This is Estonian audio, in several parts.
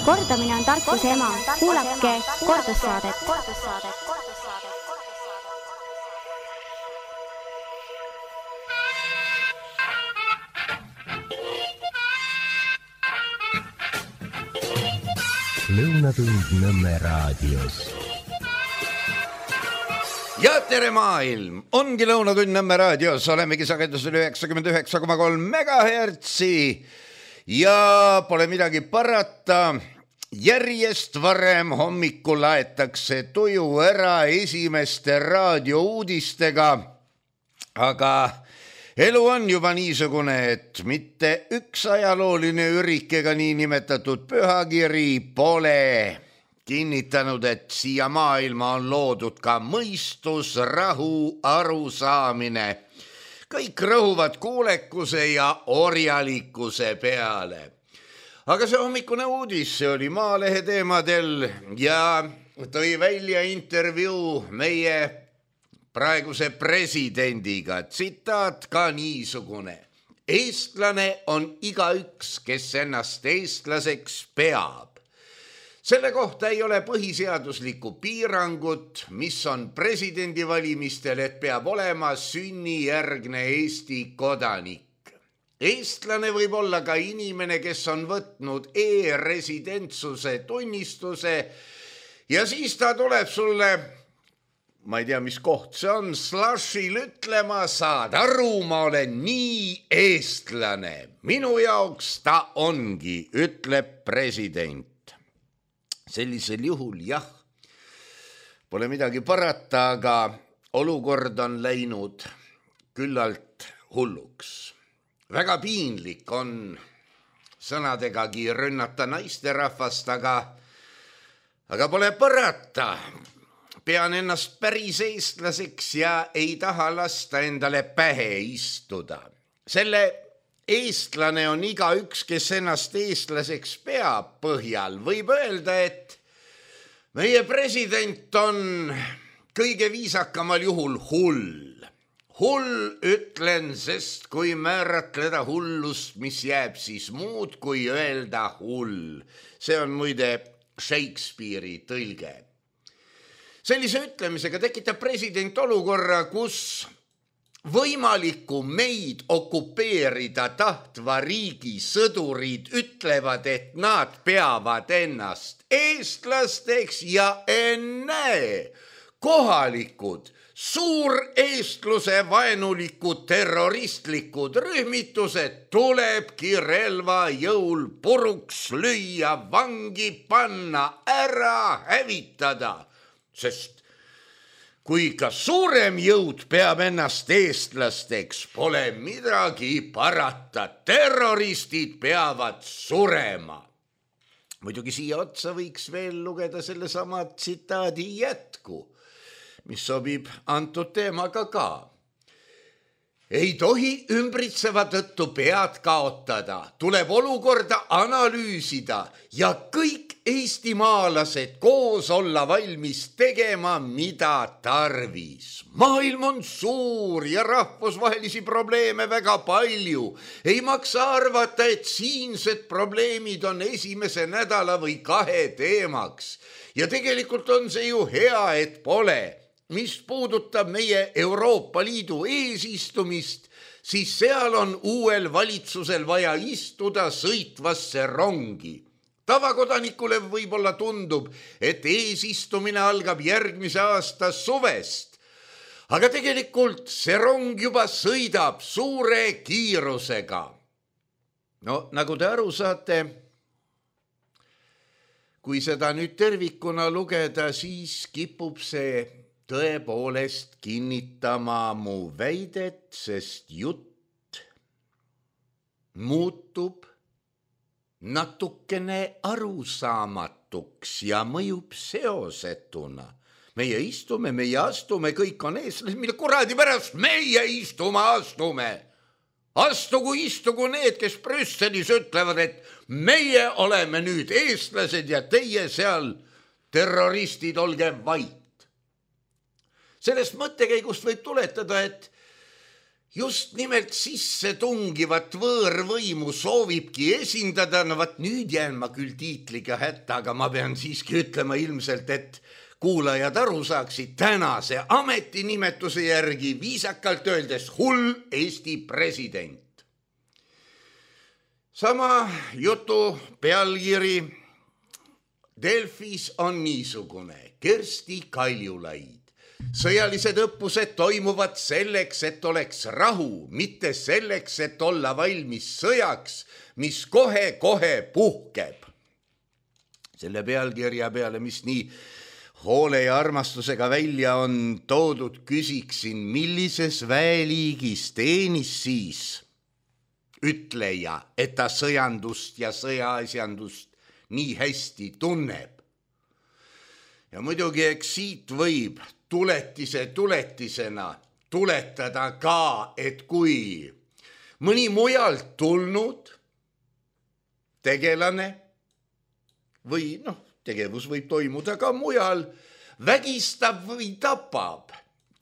Kordamine on tarkuse ema. Kuulake kordussaadet. Lõunatund Nõmme raadios. Ja tere maailm! Ongi Lõunatund Nõmme raadios. Olemegi sagedusel 99,3 megahertsi. Ja pole midagi parata. Järjest varem hommikul laetakse tuju ära esimeste raadiouudistega. Aga elu on juba niisugune, et mitte üks ajalooline ürik ega niinimetatud pühakiri pole kinnitanud, et siia maailma on loodud ka mõistus, rahu, arusaamine. Kõik rõhuvad kuulekuse ja orjalikkuse peale. Aga see hommikune uudis, see oli Maalehe teemadel ja tõi välja intervjuu meie praeguse presidendiga. Tsitaat ka niisugune. Eestlane on igaüks, kes ennast eestlaseks peab. Selle kohta ei ole põhiseaduslikku piirangut, mis on presidendivalimistel, et peab olema sünnijärgne Eesti kodanik. Eestlane võib olla ka inimene, kes on võtnud e-residentsuse tunnistuse ja siis ta tuleb sulle, ma ei tea, mis koht see on, Slashil ütlema, saad aru, ma olen nii eestlane. Minu jaoks ta ongi, ütleb president. Sellisel juhul jah, pole midagi parata, aga olukord on läinud küllalt hulluks. Väga piinlik on sõnadegagi rünnata naisterahvast, aga pole parata. Pean ennast päris eestlaseks ja ei taha lasta endale pähe istuda. Selle eestlane on igaüks, kes ennast eestlaseks peab põhjal. Võib öelda, et meie president on kõige viisakamal juhul hull. Hull ütlen, sest kui määratleda hullust, mis jääb siis muud kui öelda hull. See on muide Shakespeare'i tõlge. Sellise ütlemisega tekitab president olukorra, kus võimalikku meid okupeerida tahtva riigi sõdurid ütlevad, et nad peavad ennast eestlasteks ja ennäe kohalikud suureestluse vaenulikud terroristlikud rühmitused tulebki relva jõul puruks lüüa, vangi panna, ära hävitada, sest kui ka suurem jõud peab ennast eestlasteks, pole midagi parata, terroristid peavad surema. Muidugi siia otsa võiks veel lugeda sellesama tsitaadi jätku, mis sobib antud teemaga ka. Ei tohi ümbritseva tõttu pead kaotada, tuleb olukorda analüüsida ja kõik eestimaalased koos olla valmis tegema, mida tarvis. Maailm on suur ja rahvusvahelisi probleeme väga palju. Ei maksa arvata, et siinsed probleemid on esimese nädala või 2 teemaks. Ja tegelikult on see ju hea, et pole. Mis puudutab meie Euroopa Liidu eesistumist, siis seal on uuel valitsusel vaja istuda sõitvasse rongi. Tavakodanikule võib-olla tundub, et eesistumine algab järgmise aasta suvest. Aga tegelikult see rong juba sõidab suure kiirusega. No, nagu te aru saate, kui seda nüüd tervikuna lugeda, siis kipub see tõepoolest kinnitama mu väidet, sest jutt muutub natukene arusaamatuks ja mõjub seosetuna. Meie istume, meie astume, kõik on eestlased, mille kuradi pärast meie astume. Astugu istugu need, kes Brüsselis ütlevad, et meie oleme nüüd eestlased ja teie seal terroristid, olge vait. Sellest mõttekäigust võib tuletada, et just nimelt sisse tungivat võõrvõimu soovibki esindada, no vat nüüd jään ma küll tiitliga hätta, aga ma pean siiski ütlema ilmselt, et kuulajad aru saaksid tänase ametinimetuse järgi viisakalt öeldes hull Eesti president. Sama jutu pealkiri Delfis on niisugune: Kersti Kaljulaid. Sõjalised õppused toimuvad selleks, et oleks rahu, mitte selleks, et olla valmis sõjaks, mis kohe-kohe puhkeb. Selle pealkirja peale, mis nii hoole ja armastusega välja on toodud, küsiksin, millises väeliigis teenis siis ütleja, et ta sõjandust ja sõjaasjandust nii hästi tunneb. Ja muidugi eks siit võib tuletisena tuletada ka, et kui mõni mujalt tulnud tegelane või tegevus võib toimuda ka mujal, vägistab või tapab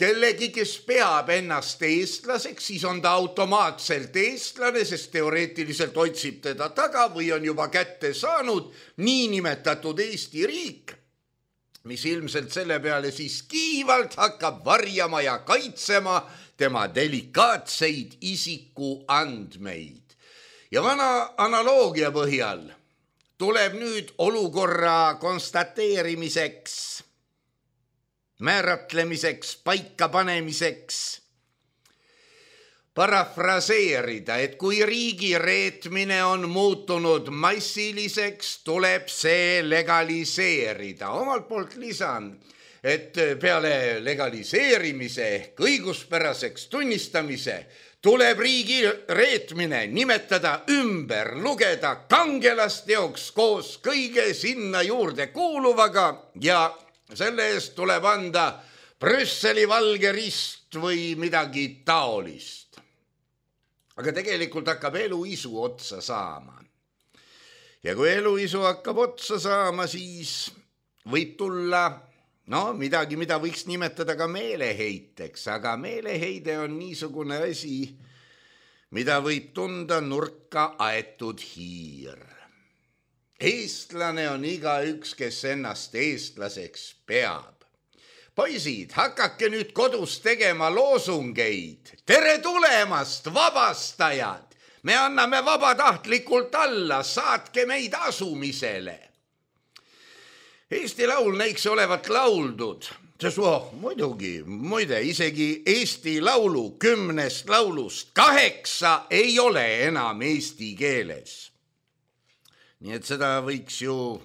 kellegi, kes peab ennast eestlaseks, siis on ta automaatselt eestlane, sest teoreetiliselt otsib teda taga või on juba kätte saanud niinimetatud Eesti riik, mis ilmselt selle peale siis kiivalt hakkab varjama ja kaitsema tema delikaatseid isikuandmeid. Ja vana analoogia põhjal tuleb nüüd olukorra konstateerimiseks, määratlemiseks, paikapanemiseks parafraseerida, et kui riigi reetmine on muutunud massiliseks, tuleb see legaliseerida. Omalt poolt lisan, et peale legaliseerimise ehk õiguspäraseks tunnistamise tuleb riigi reetmine nimetada ümber, lugeda kangelasteoks koos kõige sinna juurde kuuluvaga ja selle eest tuleb anda Brüsseli valge rist või midagi taolist. Aga tegelikult hakkab eluisu otsa saama. Ja kui eluisu hakkab otsa saama, siis võib tulla midagi, mida võiks nimetada ka meeleheiteks, aga meeleheide on niisugune asi, mida võib tunda nurka aetud hiir. Eestlane on igaüks, kes ennast eestlaseks peab. Poisid, hakake nüüd kodus tegema loosungeid. Tere tulemast, vabastajad! Me anname vabatahtlikult alla, saatke meid asumisele. Eesti laul näiks olevat lauldud, muide, isegi Eesti laulu 10 laulust 8 ei ole enam eesti keeles. Nii et seda võiks ju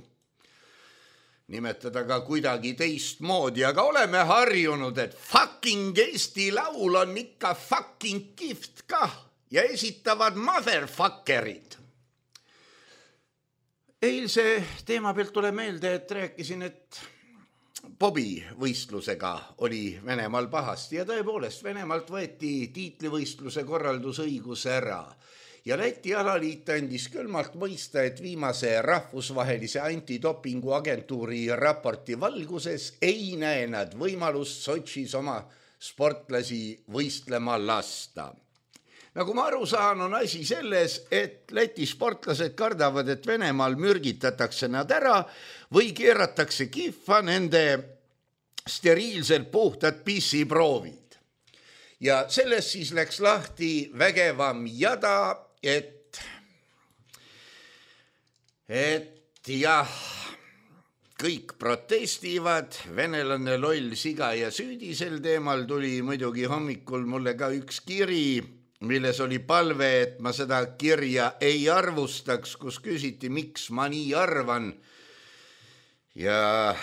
nimetada ka kuidagi teistmoodi, aga oleme harjunud, et fucking Eesti laul on ikka fucking kihvt kah ja esitavad motherfuckerid. Eilse teema pealt tuleb meelde, et rääkisin, et Bobi võistlusega oli Venemaal pahasti ja tõepoolest Venemaalt võeti tiitlivõistluse korraldusõigus ära ja Läti alaliit andis külmalt mõista, et viimase rahvusvahelise antidopinguagentuuri raporti valguses ei näe nad võimalust Sotšis oma sportlasi võistlema lasta. Nagu ma aru saan, on asi selles, et Läti sportlased kardavad, et Venemaal mürgitatakse nad ära või keeratakse kihva nende steriilselt puhtad pissiproovid. Ja sellest siis läks lahti vägevam jada, et jah, kõik protestivad, venelane loll, siga ja süüdi sel teemal. Tuli muidugi hommikul mulle ka üks kiri, milles oli palve, et ma seda kirja ei arvustaks, kus küsiti, miks ma nii arvan. Ja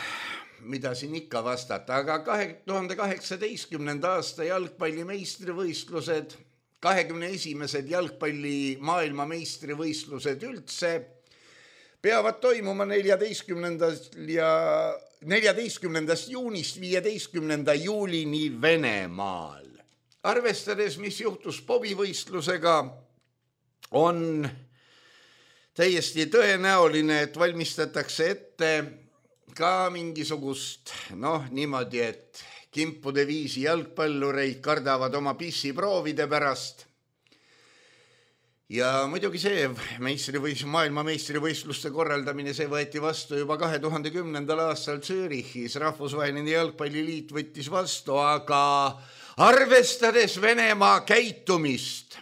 mida siin ikka vastata, aga 2018. aasta jalgpalli meistrivõistlused, 21. jalgpalli maailmameistrivõistlused üldse peavad toimuma 14. juunist 15. juulini Venemaal. Arvestades, mis juhtus Bobi võistlusega, on täiesti tõenäoline, et valmistatakse ette ka mingisugust, niimoodi, et kimpude viisi jalgpallureid kardavad oma pissiproovide pärast. Ja muidugi see maailmameistrivõistluste korraldamine, see võeti vastu juba 2010. aastal Zürichis. Rahvusvaheline jalgpalliliit võttis vastu, aga arvestades Venemaa käitumist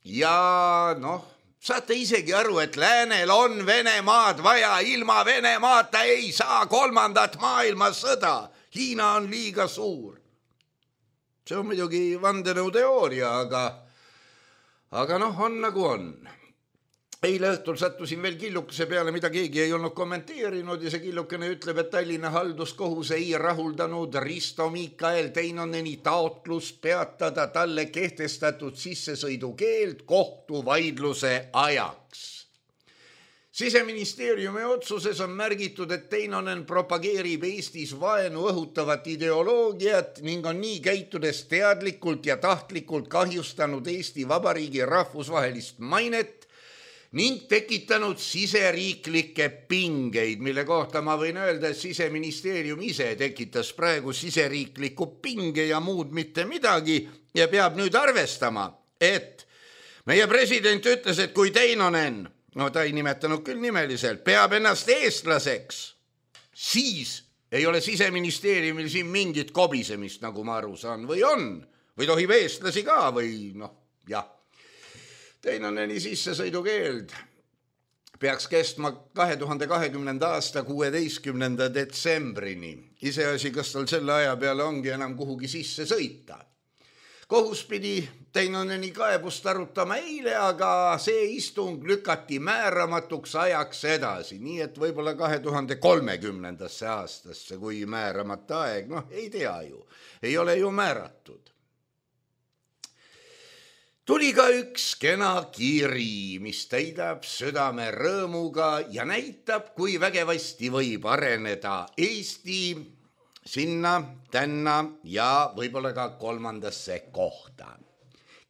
ja saate isegi aru, et läänel on Venemaad vaja, ilma Venemaata ei saa 3. maailmasõda. Hiina on liiga suur. See on muidugi vandenõuteooria, aga on nagu on. Eile õhtul sattusin veel killukese peale, mida keegi ei olnud kommenteerinud ja see killukene ütleb, et Tallinna halduskohus ei rahuldanud Risto Mikael Teinoneni taotlus peatada talle kehtestatud sissesõidukeeld kohtuvaidluse ajaks. Siseministeeriumi otsuses on märgitud, et Teinonen propageerib Eestis vaenu õhutavat ideoloogiat ning on nii käitudes teadlikult ja tahtlikult kahjustanud Eesti Vabariigi rahvusvahelist mainet ning tekitanud siseriiklikke pingeid, mille kohta ma võin öelda, et Siseministeerium ise tekitas praegu siseriikliku pinge ja muud mitte midagi ja peab nüüd arvestama, et meie president ütles, et kui Teinonen, ta ei nimetanud küll nimeliselt, peab ennast eestlaseks, siis ei ole Siseministeeriumil siin mingit kobisemist, nagu ma aru saan, või on, või tohib eestlasi ka või jah. Teinoneni sissesõidukeeld peaks kestma 2020. aasta 16. detsembrini. Iseasi, kas tal selle aja peale ongi enam kuhugi sisse sõita. Kohus pidi Teinoneni kaebust arutama eile, aga see istung lükati määramatuks ajaks edasi, nii et võib-olla 2030. aastasse, kui määramata aeg, ei tea ju, ei ole ju määratud. Tuli ka üks kena kiri, mis täidab südame rõõmuga ja näitab, kui vägevasti võib areneda Eesti sinna, tänna ja võib-olla ka 3. kohta.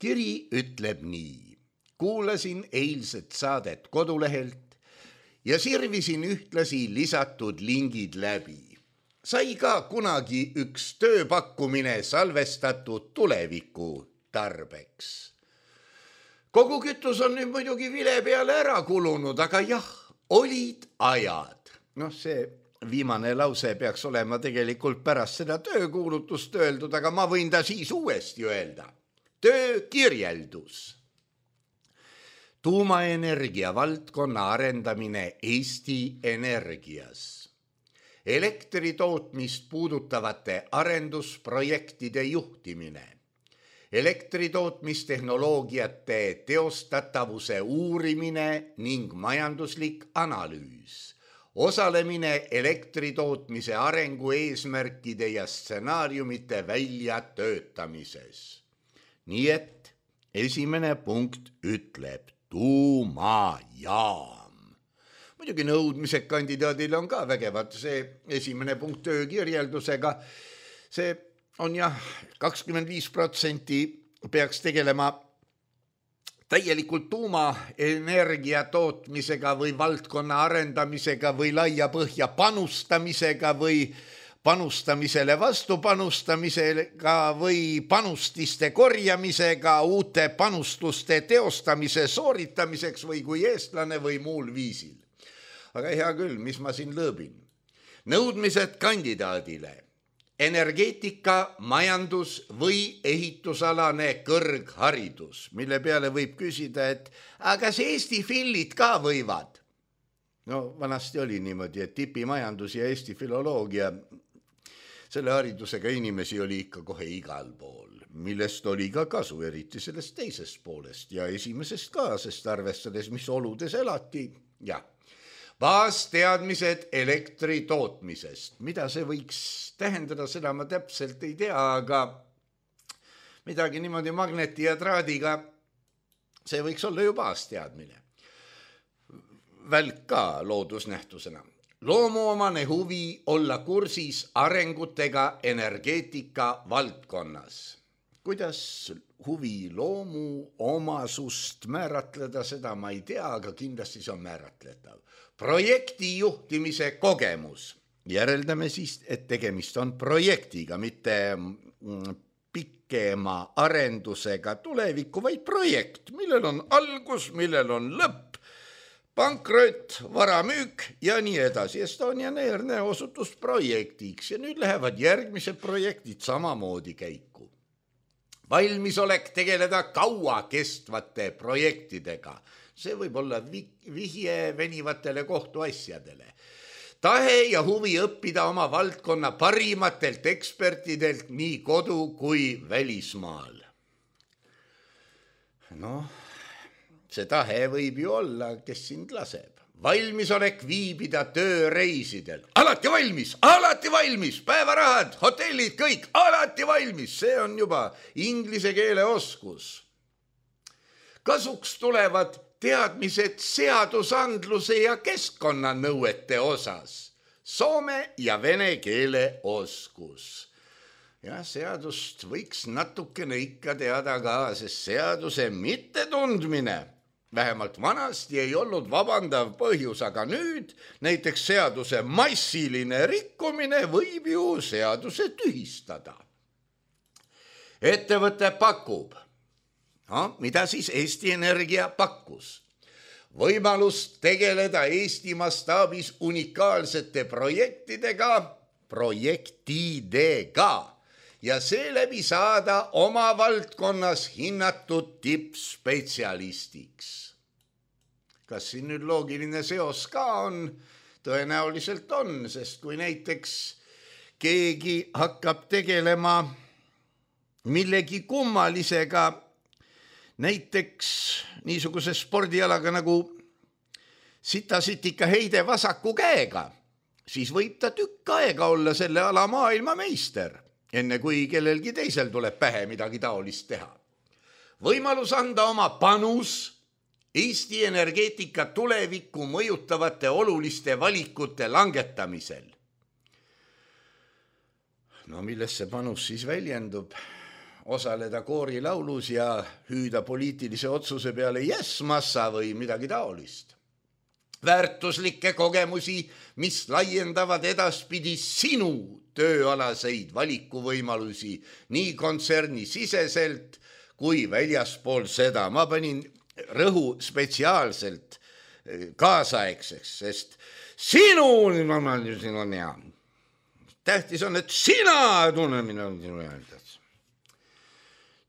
Kiri ütleb nii. Kuulasin eilset saadet kodulehelt ja sirvisin ühtlasi lisatud lingid läbi. Sai ka kunagi üks tööpakkumine salvestatud tuleviku tarbeks. Kogu kütus on nüüd muidugi vile peale ära kulunud, aga jah, olid ajad. See viimane lause peaks olema tegelikult pärast seda töökuulutust öeldud, aga ma võin ta siis uuesti öelda. Töökirjeldus. Tuumaenergia valdkonna arendamine Eesti Energias. Elektritootmist puudutavate arendusprojektide juhtimine. Elektritootmistehnoloogiate teostatavuse uurimine ning majanduslik analüüs. Osalemine elektritootmise arengu eesmärkide ja stsenaariumite väljatöötamises. Nii et esimene punkt ütleb tuumajaam. Muidugi nõudmised kandidaadile on ka vägevad, see esimene punkt töökirjeldusega, see on jah, 25% peaks tegelema täielikult tuumaenergia tootmisega või valdkonna arendamisega või laia põhja panustamisega või panustamisele vastupanustamisega või panustiste korjamisega, uute panustuste teostamise sooritamiseks või kui eestlane või muul viisil. Aga hea küll, mis ma siin lõõbin? Nõudmised kandidaadile. Energeetika, majandus või ehitusalane kõrgharidus, mille peale võib küsida, et aga kas Eesti fillid ka võivad? Vanasti oli niimoodi, et tipimajandus ja Eesti filoloogia, selle haridusega inimesi oli ikka kohe igal pool, millest oli ka kasu, eriti sellest teisest poolest ja esimesest ka, sest arvestades, mis oludes elati, jah. Baasteadmised elektri tootmisest. Mida see võiks tähendada, seda ma täpselt ei tea, aga midagi niimoodi magneti ja traadiga, see võiks olla ju baasteadmine. Välk ka loodusnähtusena. Loomuomane huvi olla kursis arengutega energeetika valdkonnas. Kuidas huvi loomu omasust määratleda, seda ma ei tea, aga kindlasti see on määratletav. Projekti juhtimise kogemus. Järeldame siis, et tegemist on projektiga, mitte pikema arendusega tulevikku, vaid projekt, millel on algus, millel on lõpp, pankrot, varamüük ja nii edasi. Estonian Air osutus projektiks ja nüüd lähevad järgmised projektid samamoodi käiku. Valmisolek tegeleda kaua kestvate projektidega. See võib olla vihje venivatele kohtuasjadele. Tahe ja huvi õppida oma valdkonna parimatelt ekspertidelt nii kodu kui välismaal. See tahe võib ju olla, kes sind laseb. Valmisolek viibida tööreisidel. Alati valmis, päevarahad, hotellid, kõik, alati valmis. See on juba inglise keele oskus. Kasuks tulevad teadmised seadusandluse ja keskkonnanõuete osas. Soome ja vene keele oskus. Ja seadust võiks natukene ikka teada ka, sest seaduse mittetundmine vähemalt vanasti ei olnud vabandav põhjus, aga nüüd näiteks seaduse massiline rikkumine võib ju seaduse tühistada. Ettevõte pakub. Mida siis Eesti Energia pakkus? Võimalust tegeleda Eesti mastaabis unikaalsete projektidega ja seeläbi saada oma valdkonnas hinnatud tippspetsialistiks. Kas siin nüüd loogiline seos ka on? Tõenäoliselt on, sest kui näiteks keegi hakkab tegelema millegi kummalisega, näiteks niisuguse spordialaga nagu sitasitika heide vasaku käega, siis võib ta tükk aega olla selle ala maailmameister, enne kui kellelgi teisel tuleb pähe midagi taolist teha. Võimalus anda oma panus Eesti energeetika tulevikku mõjutavate oluliste valikute langetamisel. Milles see panus siis väljendub? Osaleda koorilaulus ja hüüda poliitilise otsuse peale yes massa või midagi taolist. Väärtuslikke kogemusi, mis laiendavad edaspidi sinu tööalaseid valikuvõimalusi nii kontserni siseselt kui väljaspool seda. Ma panin rõhu spetsiaalselt kaasaegseks, sest tähtis on, et sina tunne minu öelda.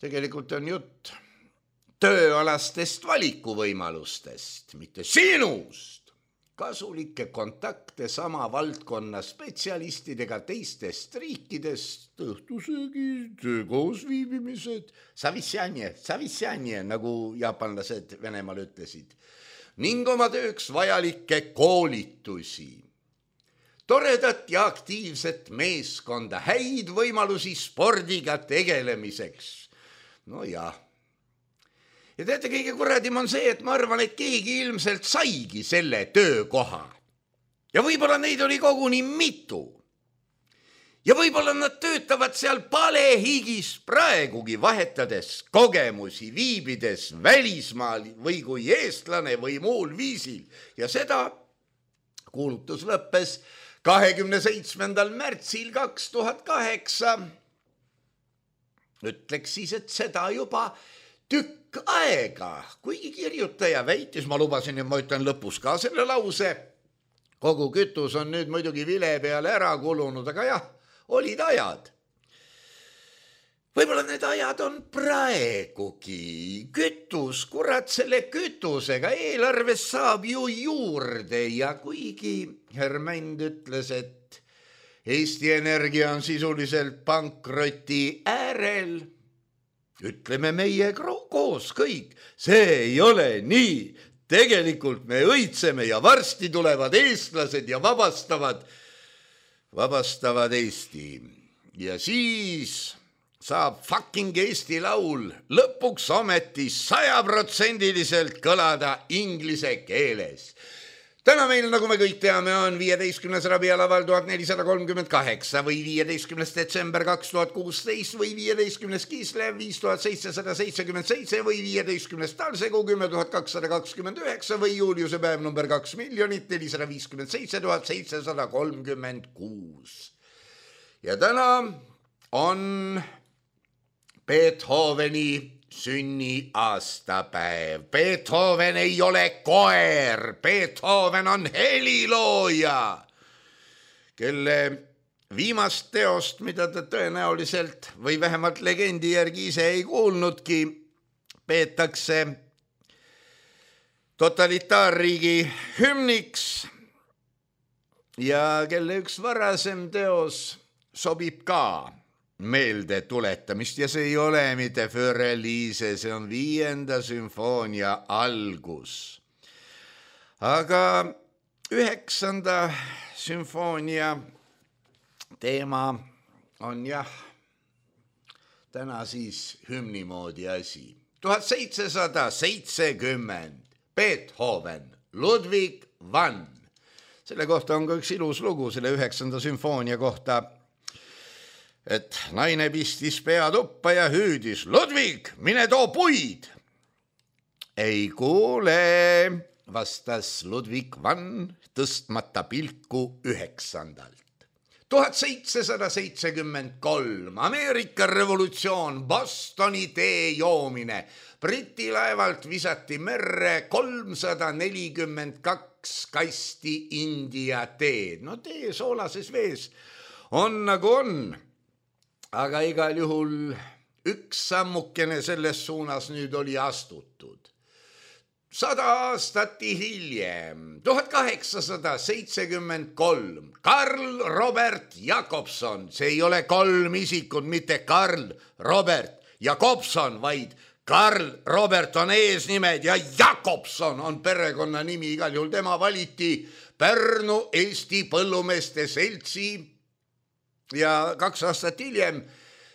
Tegelikult on jutt tööalastest valikuvõimalustest, mitte sinust. Kasulikke kontakte sama valdkonna spetsialistidega teistest riikidest, õhtusöögid, koos viibimised, savissjanje, nagu jaapanlased Venemaal ütlesid, ning oma tööks vajalikke koolitusi. Toredat ja aktiivset meeskonda, häid võimalusi spordiga tegelemiseks. Ja teate, kõige kuradim on see, et ma arvan, et keegi ilmselt saigi selle töökoha. Ja võib-olla neid oli koguni mitu. Ja võib-olla nad töötavad seal palehigis praegugi, vahetades kogemusi, viibides välismaal või kui eestlane või muul viisil. Ja seda kuulutus lõppes 27. märtsil 2008. Ütleks siis, et seda juba tükk aega, kuigi kirjutaja väitis, ma lubasin ja ma ütlen lõpus ka selle lause, kogu kütus on nüüd muidugi vile peale ära kulunud, aga jah, olid ajad. Võib-olla need ajad on praegugi. Kütus, kurat, selle kütusega eelarves saab ju juurde ja kuigi Hermänd ütles, et Eesti Energia on sisuliselt pankroti äärel, ütleme meie koos kõik, see ei ole nii. Tegelikult me õitseme ja varsti tulevad eestlased ja vabastavad Eesti. Ja siis saab fucking Eesti laul lõpuks ometi 100% kõlada inglise keeles. Täna meil, nagu me kõik teame, on 15. rabialaval 1438 või 15. detsember 2016 või 15. Kislev 5777 või 15. talsegu 10229 või Juliuse päev number 2 457 736. Ja täna on Beethoveni sünniaastapäev. Beethoven ei ole koer, Beethoven on helilooja, kelle viimast teost, mida ta tõenäoliselt või vähemalt legendi järgi ise ei kuulnudki, peetakse totalitaarriigi hümniks ja kelle üks varasem teos sobib ka meelde tuletamist ja see ei ole mitte Für-Elise, see on 5. sümfoonia algus. Aga 9. sümfoonia teema on täna siis hümni moodi asi. 1770 Beethoven, Ludwig van. Selle kohta on ka üks ilus lugu selle 9. sümfoonia kohta, et naine pistis pea tuppa ja hüüdis, Ludwig, mine too puid. Ei kuule, vastas Ludwig van tõstmata pilku 9. 1773 Ameerika revolutsioon, Bostoni tee joomine. Briti laevalt visati merre 342 kasti India teed. No tee soolases vees on nagu on. Aga igal juhul üks sammukene selles suunas nüüd oli astutud. 100 aastat hiljem, 1873, Karl Robert Jakobson, see ei ole 3 isikut, mitte Karl Robert Jakobson, vaid Karl Robert on eesnimed ja Jakobson on perekonnanimi, igal juhul tema valiti Pärnu Eesti Põllumeeste Seltsi ja 2 aastat hiljem,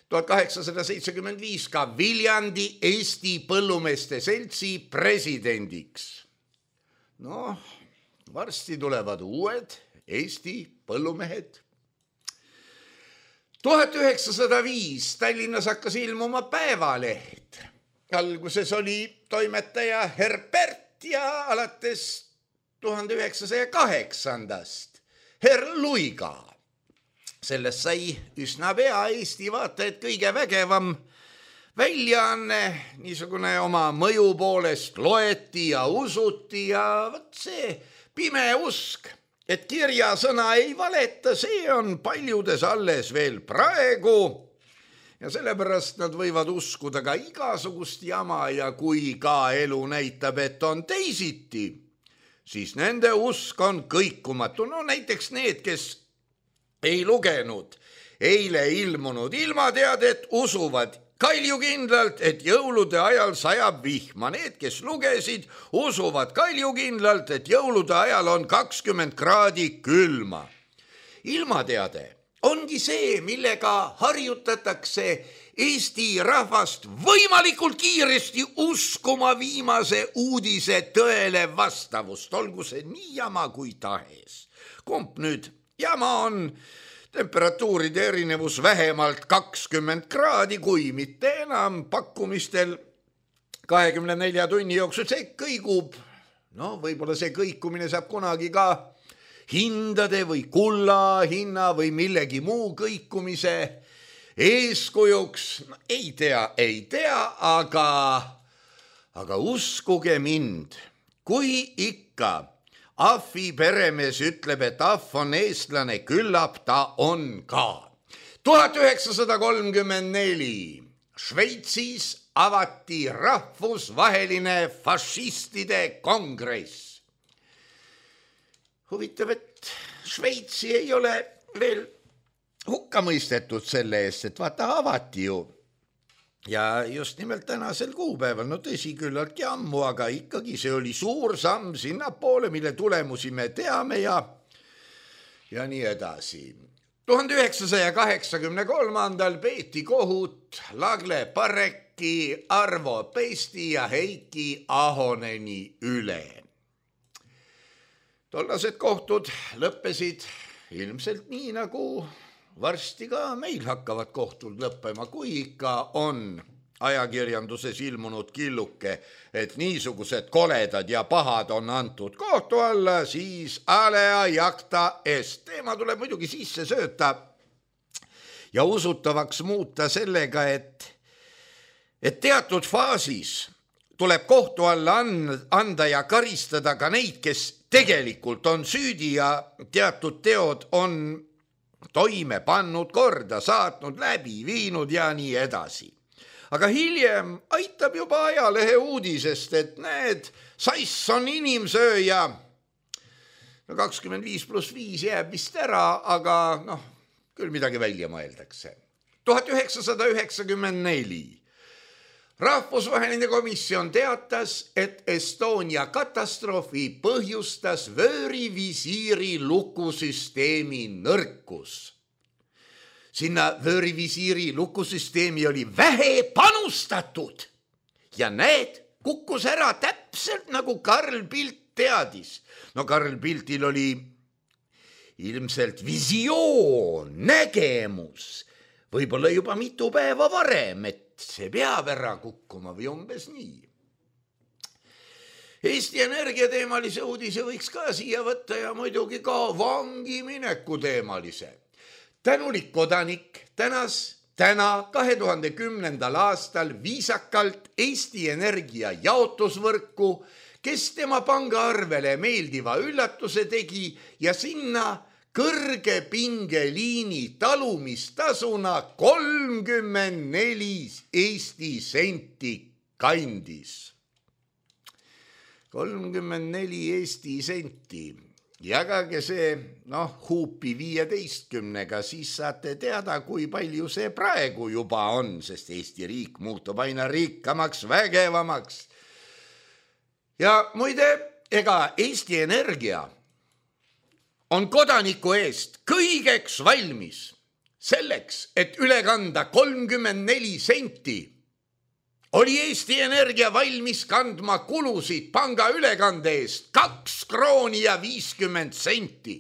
1875 ka Viljandi Eesti Põllumeeste Seltsi presidendiks. No, varsti tulevad uued Eesti põllumehed. 1905 Tallinnas hakkas ilmuma päevaleht. Alguses oli toimetaja Herbert ja alates 1908 Herr Luiga. Sellest sai üsna pea Eesti vaatajad kõige vägevam väljaanne, niisugune oma mõju poolest loeti ja usuti ja võt see pime usk, et kirjasõna ei valeta, see on paljudes alles veel praegu ja sellepärast nad võivad uskuda ka igasugust jama ja kui ka elu näitab, et on teisiti, siis nende usk on kõikumatu. No näiteks need, kes ei lugenud eile ilmunud ilmateadet, usuvad kaljukindlalt, et jõulude ajal sajab vihma. Need, kes lugesid, usuvad kaljukindlalt, et jõulude ajal on 20 kraadi külma. Ilmateade ongi see, millega harjutatakse Eesti rahvast võimalikult kiiresti uskuma viimase uudise tõele vastavust, olgu see nii jama kui tahes. Kumb nüüd jama on temperatuuride erinevus vähemalt 20 kraadi, kui mitte enam pakkumistel 24 tunni jooksul, see kõigub. No võib-olla see kõikumine saab kunagi ka hindade või kulla hinna või millegi muu kõikumise eeskujuks. Ei tea, aga uskuge mind, kui ikka Ahvi peremees ütleb, et Ahv on eestlane, küllap ta on ka. 1934 Šveitsis avati rahvusvaheline fašistide kongress. Huvitav, et Šveitsi ei ole veel hukka mõistetud selle eest, et vaata avati ju. Ja just nimelt tänasel kuupäeval, no tõsi küllaltki ammu, aga ikkagi see oli suur samm sinnapoole, mille tulemusi me teame ja nii edasi. 1983 peeti kohut Lagle Pareki, Arvo Pesti ja Heiki Ahoneni üle. Tollased kohtud lõppesid ilmselt nii, nagu varsti ka meil hakkavad kohtud lõppema, kui ikka on ajakirjanduses ilmunud killuke, et niisugused koledad ja pahad on antud kohtu alla, siis alea jacta est. Teema tuleb muidugi sisse sööta ja usutavaks muuta sellega, et teatud faasis tuleb kohtu alla anda ja karistada ka neid, kes tegelikult on süüdi ja teatud teod on toime pannud, korda saatnud, läbi viinud ja nii edasi. Aga hiljem aitab juba ajalehe uudisest, et need sass on inimsööja. 25+5 jääb vist ära, aga küll midagi välja mõeldakse. 1994. Rahvusvaheline komisjon teatas, et Estonia katastroofi põhjustas vöörivisiiri lukusüsteemi nõrkus. Sinna vöörivisiiri lukusüsteemi oli vähe panustatud ja need kukkus ära täpselt nagu Karl Pilt teadis. Karl Piltil oli ilmselt visioon, nägemus, võib-olla juba mitu päeva varem, et see peab ära kukkuma või umbes nii. Eesti Energia teemalise uudise võiks ka siia võtta ja muidugi ka vangi mineku teemalise. Tänulik kodanik täna 2010. aastal viisakalt Eesti Energia jaotusvõrku, kes tema pangaarvele meeldiva üllatuse tegi ja sinna kõrge pingeliini talumistasuna 34 Eesti senti kandis. 34 Eesti senti. Jagage see huupi 15-ga, siis saate teada, kui palju see praegu juba on, sest Eesti riik muutub aina rikkamaks, vägevamaks. Ja muide, ega Eesti Energia on kodaniku eest kõigeks valmis selleks, et üle kanda 34 senti. Oli Eesti Energia valmis kandma kulusid panga ülekande eest 2 krooni ja 50 senti.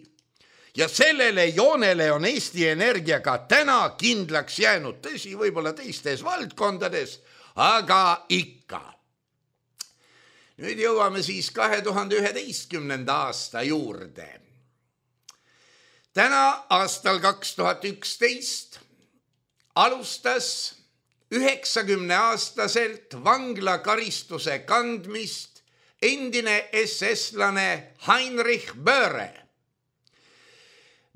Ja sellele joonele on Eesti Energia ka täna kindlaks jäänud, tõsi, võib-olla teistes valdkondades, aga ikka. Nüüd jõuame siis 2011. aasta juurde. Täna aastal 2011 alustas 90-aastaselt vanglakaristuse kandmist endine SS-lane Heinrich Böhre.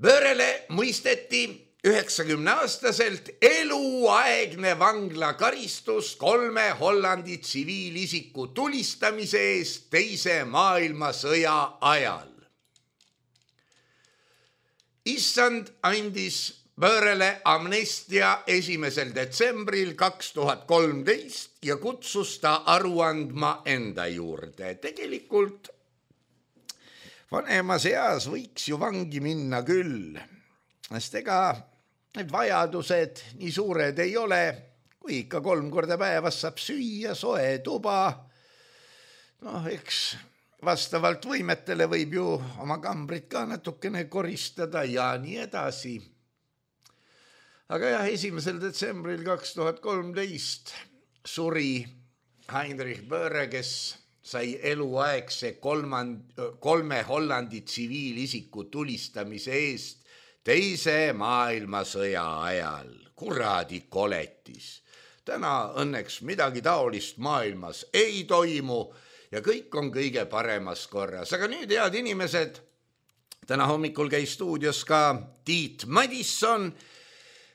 Böhrele mõisteti 90-aastaselt eluaegne vanglakaristus 3 Hollandi tsiviilisiku tulistamise eest Teise maailmasõja ajal. Issand andis Böhrele amnestia 1. detsembril 2013 ja kutsus ta aru andma enda juurde. Tegelikult vanemas eas võiks ju vangi minna küll, sest ega need vajadused nii suured ei ole, kui ikka 3 korda päevas saab süüa, soe tuba. Eks vastavalt võimetele võib ju oma kambrit ka natukene koristada ja nii edasi. Aga jah, 1. detsembril 2013 suri Heinrich Böhre, kes sai eluaegse 3 Hollandi tsiviilisiku tulistamise eest Teise maailmasõja ajal. Kuradi koletis. Täna õnneks midagi taolist maailmas ei toimu ja kõik on kõige paremas korras. Aga nüüd, head inimesed, täna hommikul käis stuudios ka Tiit Madisson,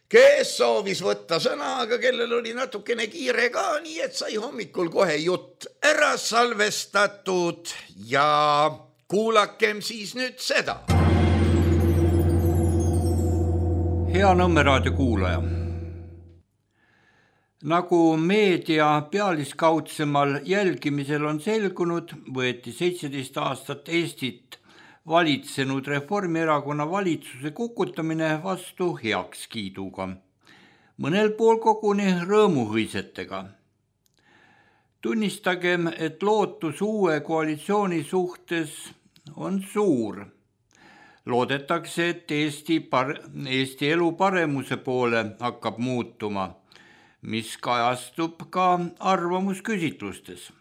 kes soovis võtta sõna, aga kellel oli natukene kiire ka, nii et sai hommikul kohe jutt ära salvestatud ja kuulakem siis nüüd seda. Hea Nõmme raadio kuulaja. Nagu meedia pealiskaudsemal jälgimisel on selgunud, võeti 17 aastat Eestit valitsenud Reformierakonna valitsuse kukutamine vastu heakskiiduga. Mõnel pool koguni rõõmuhõisetega. Tunnistagem, et lootus uue koalitsiooni suhtes on suur. Loodetakse, et Eesti elu paremuse poole hakkab muutuma, mis kajastub ka arvamusküsitlustes.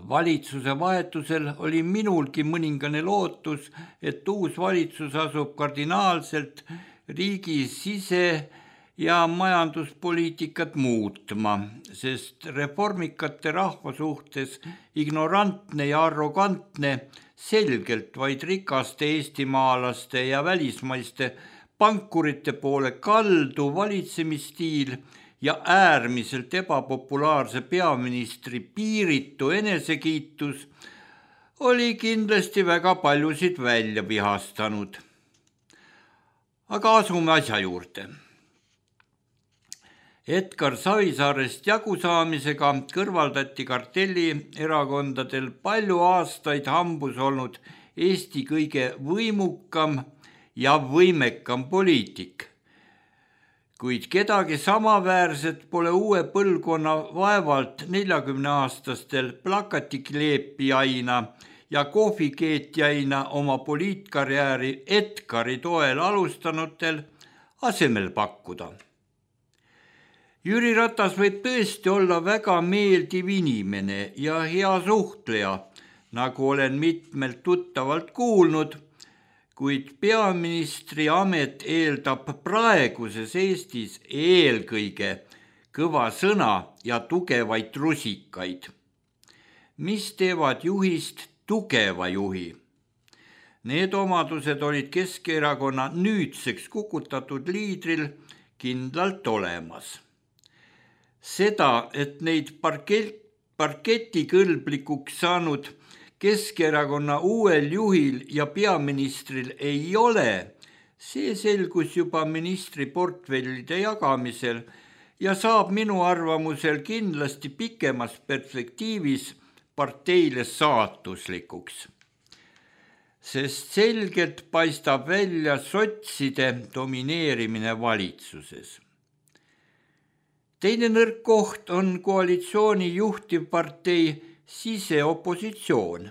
Valitsuse vahetusel oli minulgi mõningane lootus, et uus valitsus asub kardinaalselt riigi sise- ja majanduspoliitikat muutma, sest reformikate rahva suhtes ignorantne ja arrogantne, selgelt vaid rikaste eestimaalaste ja välismaiste pankurite poole kaldu valitsemisstiil ja äärmiselt ebapopulaarse peaministri piiritu enesekiitus oli kindlasti väga paljusid välja vihastanud. Aga asume asja juurde. Edgar Savisaarest jagusaamisega kõrvaldati kartellierakondadel palju aastaid hambus olnud Eesti kõige võimukam ja võimekam poliitik. Kuid kedagi samaväärset pole uue põlvkonna vaevalt 40-aastastel plakatikleepijaina ja kohvikeetjaina oma poliitkarjääri Edgari toel alustanutel asemel pakkuda. Jüri Ratas võib tõesti olla väga meeldiv inimene ja hea suhtleja, nagu olen mitmelt tuttavalt kuulnud, kuid peaministri amet eeldab praeguses Eestis eelkõige kõva sõna ja tugevaid rusikaid, mis teevad juhist tugeva juhi. Need omadused olid Keskerakonna nüüdseks kukutatud liidril kindlalt olemas. Seda, et neid parketikõlblikuks saanud Keskerakonna uuel juhil ja peaministril ei ole, see selgus juba ministriportfellide jagamisel ja saab minu arvamusel kindlasti pikemas perspektiivis parteile saatuslikuks. Sest selgelt paistab välja sotside domineerimine valitsuses. Teine nõrk koht on koalitsiooni juhtivpartei siseopositsioon.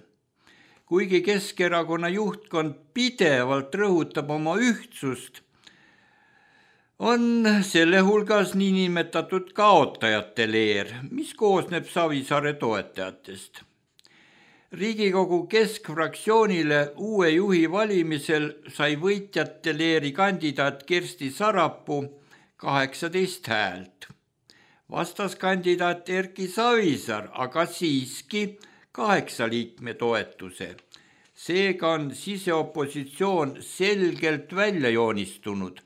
Kuigi Keskerakonna juhtkond pidevalt rõhutab oma ühtsust, on selle hulgas niinimetatud kaotajate leer, mis koosneb Savisaare toetajatest. Riigikogu keskfraktsioonile uue juhi valimisel sai võitjate leeri kandidaat Kersti Sarapuu 18 häält. Vastaskandidaat Erki Savisaar aga siiski 8 liikme toetuse. Seega on siseopositsioon selgelt välja joonistunud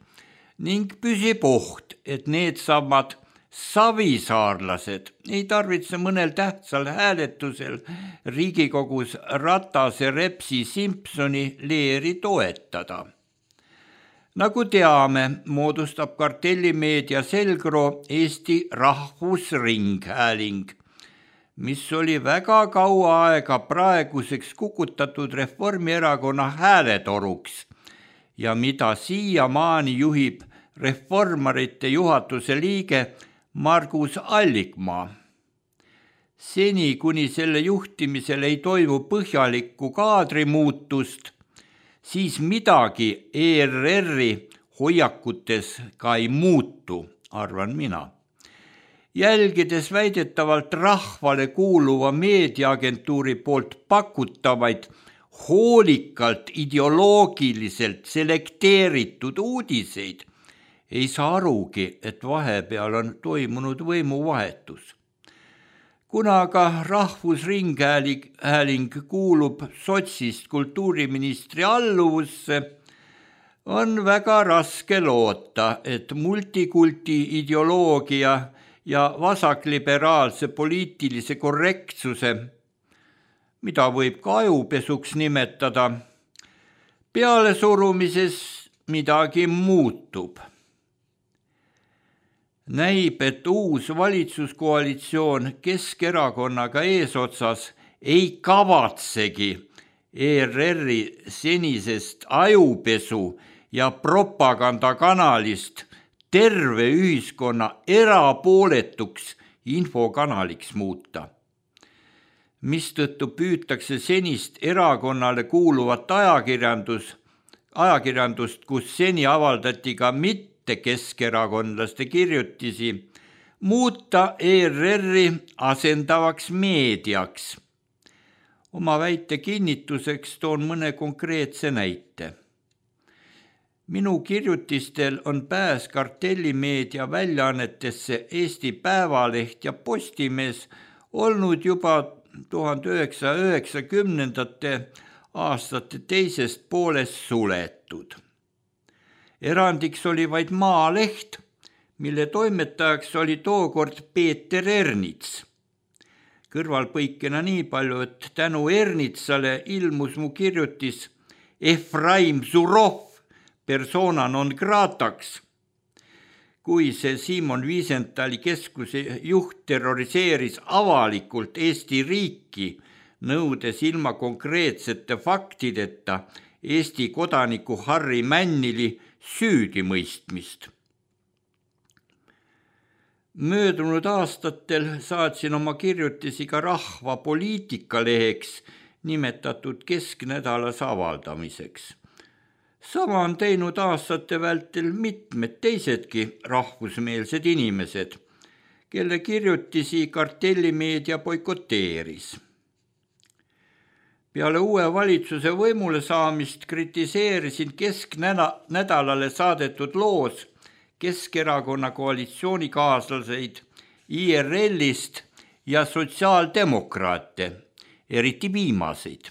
ning püsib oht, et needsamad savisaarlased ei tarvitse mõnel tähtsal hääletusel Riigikogus Ratase, Repsi, Simpsoni leeri toetada. Nagu teame, moodustab kartellimeedia selgroo Eesti Rahvusringhääling, mis oli väga kaua aega praeguseks kukutatud Reformierakonna hääletoruks ja mida siiamaani juhib reformarite juhatuse liige Margus Allikmaa. Seni, kuni selle juhtimisel ei toimu põhjalikku kaadrimuutust, siis midagi ERR-i hoiakutes ka ei muutu, arvan mina. Jälgides väidetavalt rahvale kuuluva meediaagentuuri poolt pakutavaid hoolikalt ideoloogiliselt selekteeritud uudiseid, ei saa arugi, et vahepeal on toimunud võimuvahetus. Kuna aga Rahvusringhääling kuulub sotsist kultuuriministri alluvusse, on väga raske loota, et multikulti ideoloogia ja vasakliberaalse poliitilise korrektsuse, mida võib ka ajupesuks nimetada, pealesurumises midagi muutub. Näib, et uus valitsuskoalitsioon Keskerakonnaga eesotsas ei kavatsegi ERR-i senisest ajupesu ja propagandakanalist terve ühiskonna erapooletuks infokanaliks muuta. mistõttu püütakse senist erakonnale kuuluvat ajakirjandust, kus seni avaldati ka mitte keskerakondlaste kirjutisi, muuta ERR-i asendavaks meediaks. Oma väite kinnituseks toon mõne konkreetse näite. Minu kirjutistel on pääs kartellimeedia väljaannetesse Eesti Päevaleht ja Postimees olnud juba 1990. aastate teisest poolest suletud. Erandiks oli vaid Maaleht, mille toimetajaks oli tookord Peeter Ernits. Kõrvalpõikena nii palju, et tänu Ernitsale ilmus mu kirjutis Efraim Zurov persona non grataks. Kui see Simon Wiesenthali keskuse juht terroriseeris avalikult Eesti riiki, nõudes ilma konkreetsete faktideta Eesti kodaniku Harri Männili süüdimõistmist. Möödunud aastatel saatsin oma kirjutisi ka Rahva poliitikaleheks nimetatud kesknädalas avaldamiseks. Sama on teinud aastate vältel mitmed teisedki rahvusmeelsed inimesed, kelle kirjutisi kartellimeedia boikoteeris. Peale uue valitsuse võimule saamist kritiseerisin kesknädalale saadetud loos Keskerakonna koalitsioonikaaslaseid IRL-ist ja sotsiaaldemokraate, eriti viimaseid,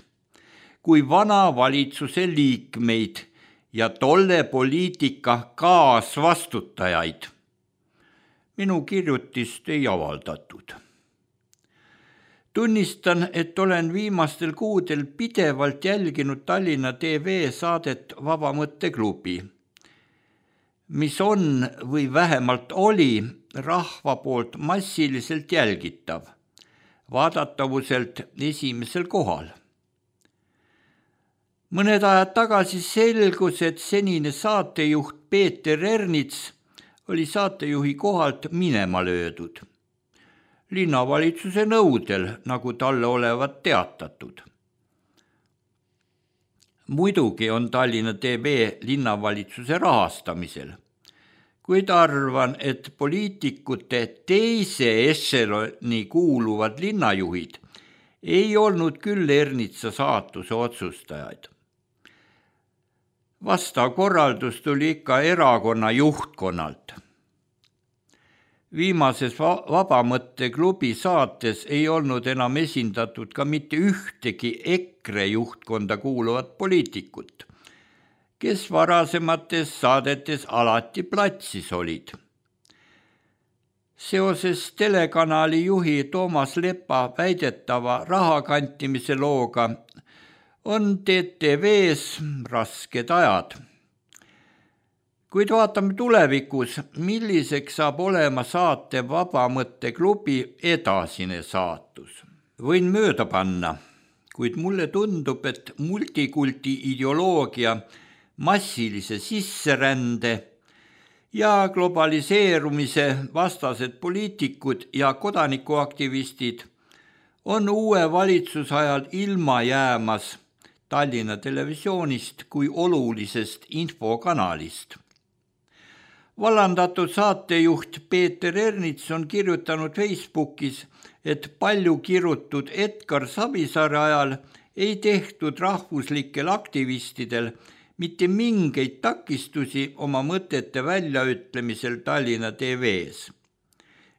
kui vana valitsuse liikmeid ja tolle poliitika kaasvastutajaid. Minu kirjutist ei avaldatud. Tunnistan, et olen viimastel kuudel pidevalt jälginud Tallinna TV saadet Vaba Mõtteklubi, mis on või vähemalt oli rahva poolt massiliselt jälgitav, vaadatavuselt esimesel kohal. Mõned ajad tagasi selgus, et senine saatejuht Peeter Ernits oli saatejuhi kohalt minema löödud. Linnavalitsuse nõudel, nagu talle olevat teatatud. Muidugi on Tallinna TV linnavalitsuse rahastamisel, kuid arvan, et poliitikute teise ešeloni kuuluvad linnajuhid ei olnud küll Ernitsa saatuse otsustajaid. Vastav korraldus tuli ikka erakonna juhtkonnalt. Viimases Vaba Mõtteklubi saates ei olnud enam esindatud ka mitte ühtegi EKRE juhtkonda kuuluvat poliitikut, kes varasemates saadetes alati platsis olid. Seoses telekanali juhi Toomas Lepa väidetava rahakantimise looga on TTV-s rasked ajad. Kuid vaatame tulevikus, milliseks saab olema saate Vaba Mõtteklubi edasine saatus. Võin mööda panna, kuid mulle tundub, et multikulti ideoloogia, massilise sisserände ja globaliseerumise vastased poliitikud ja kodanikuaktivistid on uue valitsusajal ilma jäämas Tallinna Televisioonist kui olulisest infokanalist. Vallandatud saatejuht Peeter Ernits on kirjutanud Facebookis, et palju kirutud Edgar Savisaare ajal ei tehtud rahvuslikel aktivistidel mitte mingeid takistusi oma mõtete väljaütlemisel Tallinna TV-s,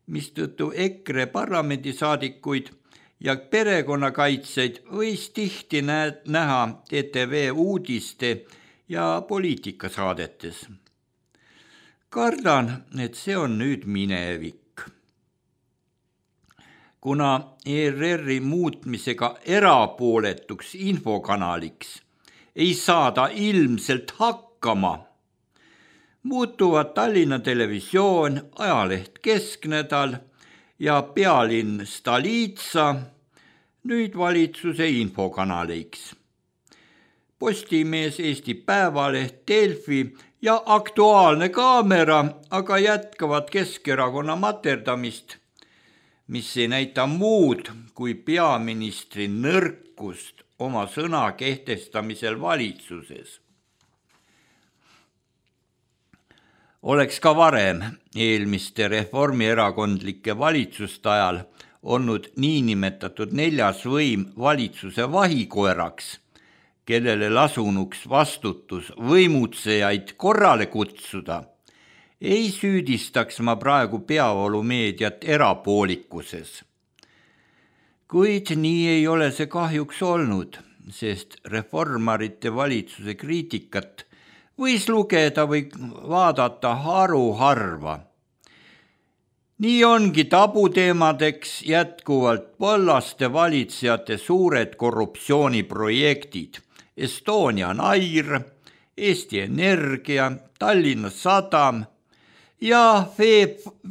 mistõttu EKRE parlamendisaadikuid ja perekonnakaitsjaid võis tihti näha TTV uudiste ja poliitikasaadetes. Kardan, et see on nüüd minevik. Kuna ERR-i muutmisega erapooletuks infokanaliks ei saada ilmselt hakkama, muutuvad Tallinna Televisioon, ajaleht Kesknädal ja pealinn Stolitsa nüüd valitsuse infokanaliks. Postimees, Eesti Päevaleht, Delfi ja Aktuaalne Kaamera aga jätkavad Keskerakonna materdamist, mis ei näita muud kui peaministri nõrkust oma sõna kehtestamisel valitsuses. Oleks ka varem eelmiste reformierakondlike valitsuste ajal olnud niinimetatud neljas võim valitsuse vahikoeraks, kellele lasunuks vastutus võimutsejaid korrale kutsuda, ei süüdistaks ma praegu peavoolumeediat erapoolikuses. Kuid nii ei ole see kahjuks olnud, sest reformarite valitsuse kriitikat võis lugeda või vaadata haruharva. Nii ongi tabuteemadeks jätkuvalt põllaste valitsejate suured korruptsiooniprojektid, Estonian Air, Eesti Energia, Tallinna Sadam ja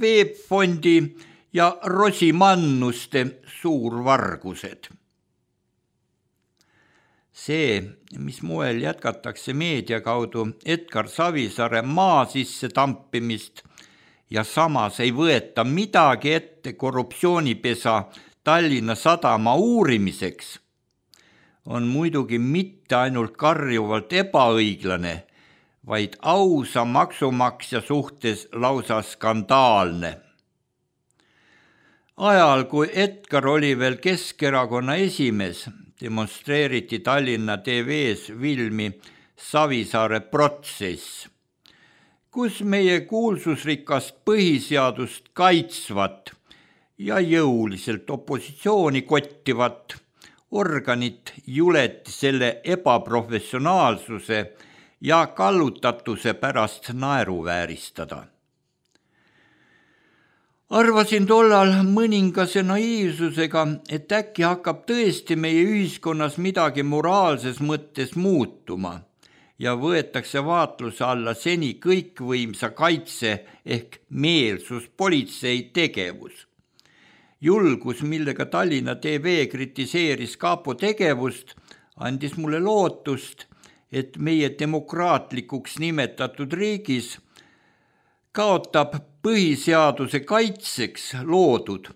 Veebfondi ja Rosimannuste suurvargused. See, mis moel jätkatakse meedia kaudu Edgar Savisaare maa sisse tampimist ja samas ei võeta midagi ette korruptsioonipesa Tallinna Sadama uurimiseks, on muidugi mitte ainult karjuvalt ebaõiglane, vaid ausa maksumaksja suhtes lausa skandaalne. Ajal, kui Edgar oli veel Keskerakonna esimees, demonstreeriti Tallinna TV-s filmi Savisaare protsess, kus meie kuulsusrikast põhiseadust kaitsvat ja jõuliselt opositsiooni kottivat organit juleti selle ebaprofessionaalsuse ja kallutatuse pärast naeruvääristada. Arvasin tollal mõningase naiivsusega, et äkki hakkab tõesti meie ühiskonnas midagi moraalses mõttes muutuma ja võetakse vaatluse alla seni kõikvõimsa kaitse ehk meelsuspolitsei tegevus. Julgus, millega Tallinna TV kritiseeris kapo tegevust, andis mulle lootust, et meie demokraatlikuks nimetatud riigis kaotab põhiseaduse kaitseks loodud,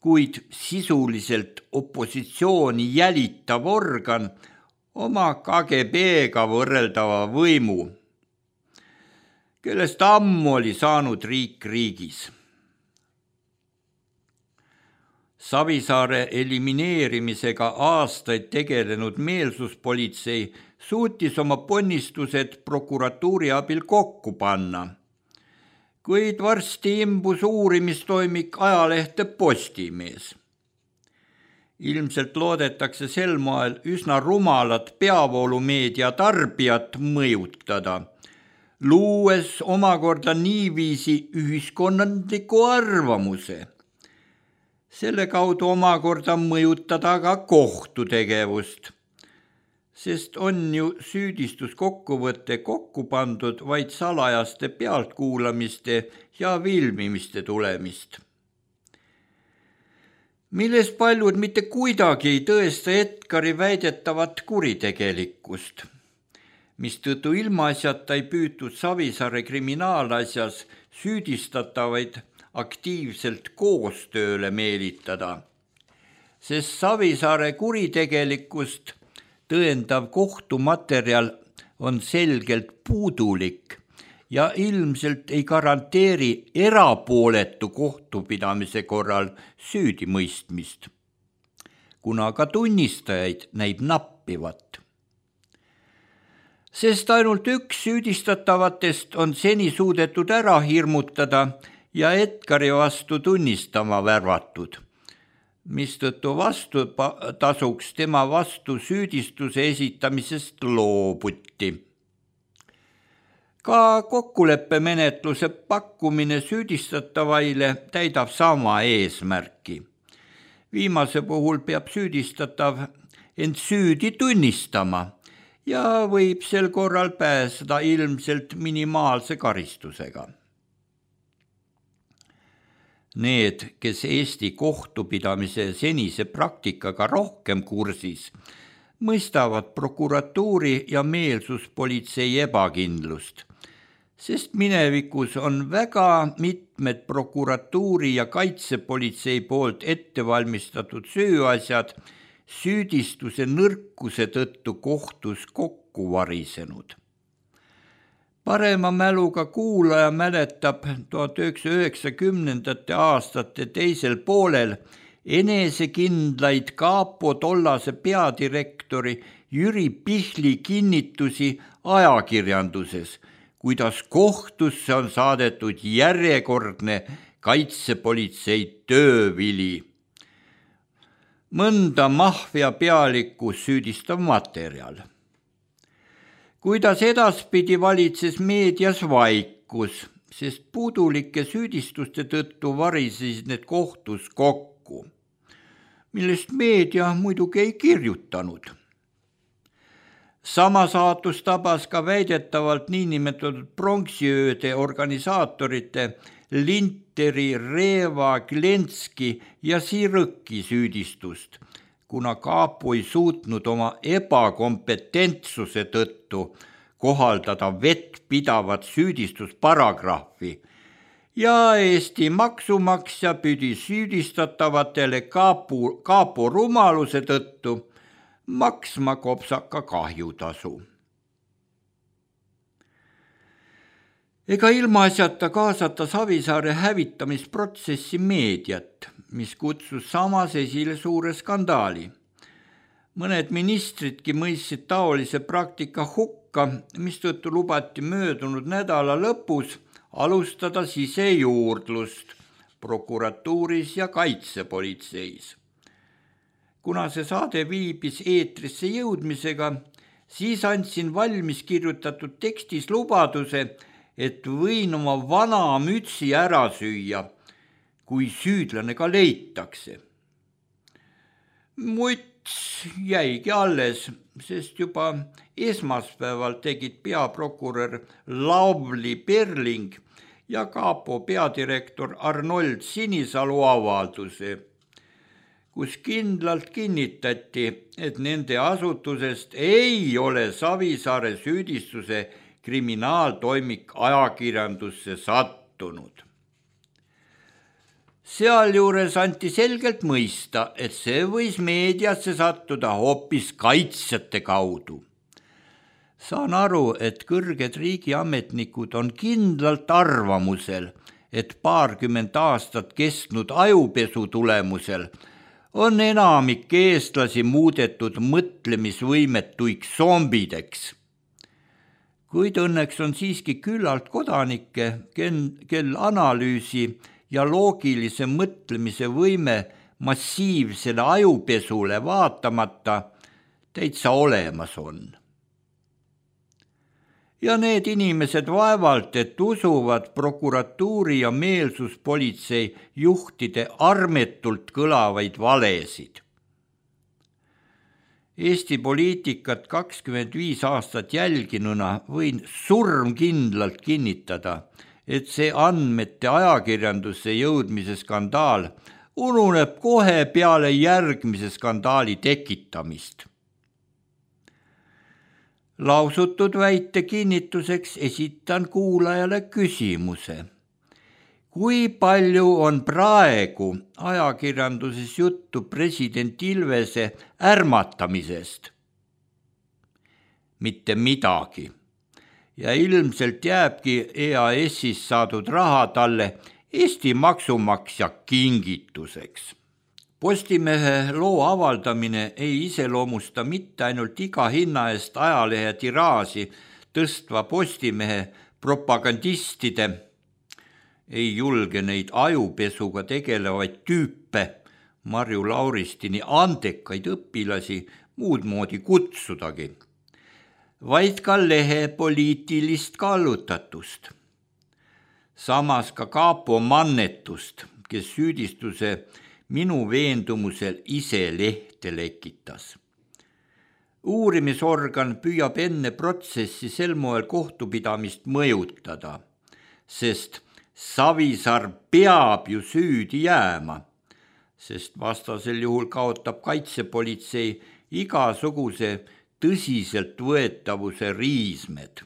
kuid sisuliselt opositsiooni jälitav organ oma KGB-ga võrreldava võimu, kellest ammu oli saanud riik riigis. Savisaare elimineerimisega aastaid tegelenud meelsuspolitsei suutis oma ponnistused prokuratuuri abil kokku panna, kuid varsti imbus uurimistoimik ajalehte Postimees. Ilmselt loodetakse sel moel üsna rumalat peavoolumeedia tarbijat mõjutada, luues omakorda niiviisi ühiskonnandliku arvamuse. Selle kaudu omakorda mõjutada ka kohtutegevust, sest on ju süüdistuskokkuvõte kokku pandud vaid salajaste pealtkuulamiste ja filmimiste tulemist, milles paljud mitte kuidagi ei tõesta Edgari väidetavat kuritegelikkust, mistõttu ilmaasjata ei püütud Savisaare kriminaalasjas süüdistatavaid aktiivselt koostööle meelitada, sest Savisaare kuritegelikkust tõendav kohtumaterjal on selgelt puudulik ja ilmselt ei garanteeri erapooletu kohtupidamise korral süüdimõistmist, kuna ka tunnistajaid näib nappivat. Sest ainult üks süüdistatavatest on seni suudetud ära hirmutada ja Edgari vastu tunnistama värvatud, mistõttu vastutasuks tema vastu süüdistuse esitamisest loobuti. Ka kokkuleppemenetluse pakkumine süüdistatavaile täidab sama eesmärki. Viimase puhul peab süüdistatav end süüdi tunnistama ja võib sel korral pääseda ilmselt minimaalse karistusega. Need, kes Eesti kohtupidamise senise praktikaga rohkem kursis, mõistavad prokuratuuri ja meelsuspolitsei ebakindlust, sest minevikus on väga mitmed prokuratuuri ja kaitsepolitsei poolt ettevalmistatud süüasjad süüdistuse nõrkuse tõttu kohtus kokku varisenud. Parema mäluga kuulaja mäletab 1990. aastate teisel poolel enesekindlaid Kapo tollase peadirektori Jüri Pihli kinnitusi ajakirjanduses, kuidas kohtusse on saadetud järjekordne kaitsepolitsei töövili. Mõnda maffia pealikku süüdistav materjal. Kuidas edaspidi valitses meedias vaikus, sest puudulike süüdistuste tõttu varisesid need kohtus kokku, millest meedia muidugi ei kirjutanud. Sama saatus tabas ka väidetavalt niinimetatud pronksiööde organisaatorite Linteri, Reeva, Glenski ja Sirõki süüdistust, kuna Kapo ei suutnud oma ebakompetentsuse tõttu kohaldada vettpidavat süüdistusparagrahvi ja Eesti maksumaksja pidi süüdistatavatele Kapo rumaluse tõttu maksma kopsaka kahjutasu. Ega ilmaasjata kaasata Savisaare hävitamisprotsessi meediat, mis kutsus samas esile suure skandaali. Mõned ministridki mõistsid taolise praktika hukka, mistõttu lubati möödunud nädala lõpus alustada sisejuurdlust prokuratuuris ja kaitsepolitseis. Kuna see saade viibis eetrisse jõudmisega, siis andsin valmis kirjutatud tekstis lubaduse, et võin oma vana mütsi ära süüa, kui süüdlane ka leitakse. Müts jäigi alles, sest juba esmaspäeval tegid peaprokurör Lavly Perling ja Kapo peadirektor Arnold Sinisalu avalduse, kus kindlalt kinnitati, et nende asutusest ei ole Savisaare süüdistuse kriminaaltoimik ajakirjandusse sattunud. Sealjuures anti selgelt mõista, et see võis meediasse sattuda hoopis kaitsjate kaudu. Saan aru, et kõrged riigiametnikud on kindlalt arvamusel, et 20 aastat kestnud ajupesu tulemusel on enamik eestlasi muudetud mõtlemisvõimetuiks zombideks. Kuid õnneks on siiski küllalt kodanikke, kel analüüsi ja loogilise mõtlemise võime massiivsele ajupesule vaatamata täitsa olemas on. Ja need inimesed vaevalt, et usuvad prokuratuuri ja meelsuspolitsei juhtide armetult kõlavaid valesid. Eesti poliitikat 25 aastat jälginuna võin surmkindlalt kinnitada, et see andmete ajakirjandusse jõudmise skandaal ununeb kohe peale järgmise skandaali tekitamist. Lausutud väite kinnituseks esitan kuulajale küsimuse. Kui palju on praegu ajakirjanduses juttu president Ilvese ärmatamisest? Mitte midagi. Ja ilmselt jääbki EAS-ist saadud raha talle Eesti maksumaksja kingituseks. Postimehe loo avaldamine ei iseloomusta mitte ainult iga hinna eest ajalehe tiraaži tõstva Postimehe propagandistide, ei julge neid ajupesuga tegelevaid tüüpe, Marju Lauristini andekaid õpilasi muud moodi kutsudagi, vaid ka lehe poliitilist kallutatust. Samas ka Kapo mannetust, kes süüdistuse minu veendumusel ise lehte lekitas. Uurimisorgan püüab enne protsessi sel moel kohtupidamist mõjutada, sest Savisaar peab ju süüdi jääma, sest vastasel juhul kaotab kaitsepolitsei igasuguse tõsiselt võetavuse riismed.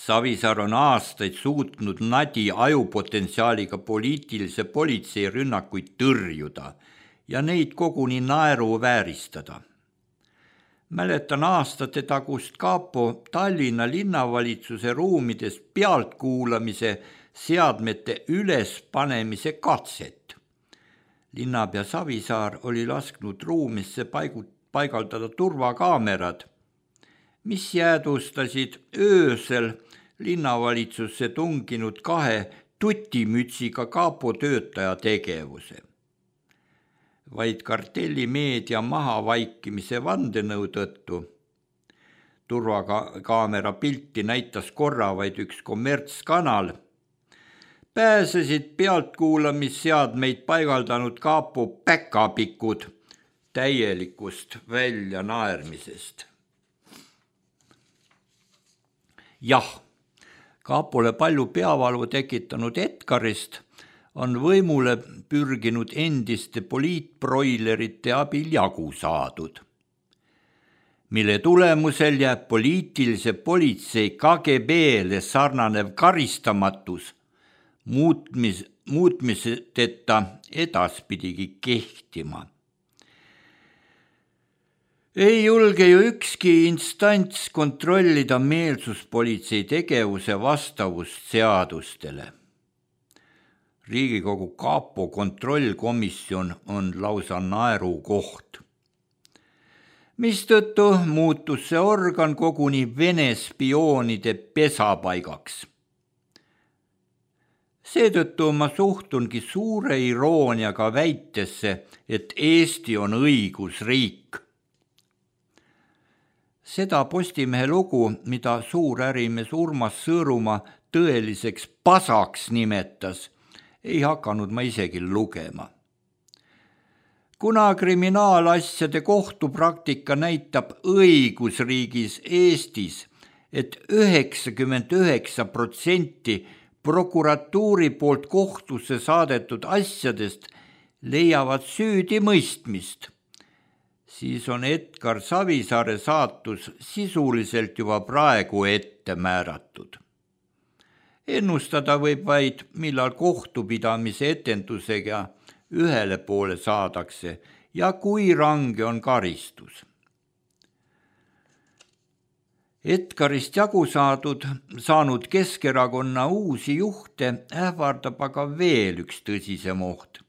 Savisaar on aastaid suutnud nadi ajupotentsiaaliga poliitilise politsei rünnakuid tõrjuda ja neid koguni naeruvääristada. Mäletan aastate tagust kapo Tallinna linnavalitsuse ruumides pealtkuulamise seadmete ülespanemise katset. Linnapea Savisaar oli lasknud ruumisse paigaldada turvakaamerad, mis jäädustasid öösel linnavalitsusse tunginud 2 tutimütsiga kapo töötaja tegevuse. Vaid kartellimeedia mahavaikimise vandenõu tõttu. Turvakaamera pilti näitas korra vaid üks kommertskanal. Pääsesid pealtkuulamisseadmeid paigaldanud kapo päkapikud täielikust väljanaermisest. Jah, kapole palju peavalu tekitanud Edgarist on võimule pürginud endiste poliitbroilerite abil jagu saadud, mille tulemusel jääb poliitilise politsei KGB-le sarnanev karistamatus muutmiseteta edaspidigi kehtima. Ei julge ju ükski instants kontrollida meelsuspolitsei tegevuse vastavust seadustele. Riigikogu kapo kontrollkomisjon on lausa naerukoht, mistõttu muutus see organ koguni Vene spioonide pesapaigaks. Seetõttu ma suhtungi suure irooniaga väitesse, et Eesti on õigusriik. Seda Postimehe lugu, mida suurärimees Urmas Sõõrumaa tõeliseks pasaks nimetas, ei hakanud ma isegi lugema. Kuna kriminaalasjade kohtupraktika näitab õigusriigis Eestis, et 99% prokuratuuri poolt kohtusse saadetud asjadest leiavad süüdimõistmist, siis on Edgar Savisaare saatus sisuliselt juba praegu ette määratud. Ennustada võib vaid, millal kohtupidamise etendusega ühele poole saadakse ja kui range on karistus. Edgarist jagu saanud Keskerakonna uusi juhte ähvardab aga veel üks tõsisem oht.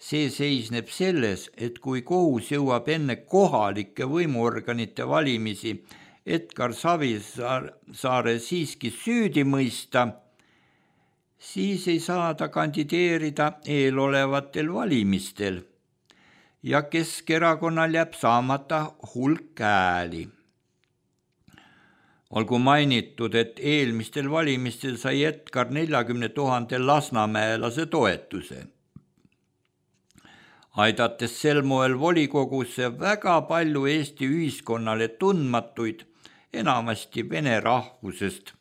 See seisneb selles, et kui kohus jõuab enne kohalike võimuorganite valimisi Edgar Savisaare siiski süüdi mõista, siis ei saa ta kandideerida eelolevatel valimistel ja Keskerakonnal jääb saamata hulk hääli. Olgu mainitud, et eelmistel valimistel sai Edgar 40 000 lasnamäelase toetuse, aidates sel moel volikogusse väga palju Eesti ühiskonnale tundmatuid, enamasti vene rahvusest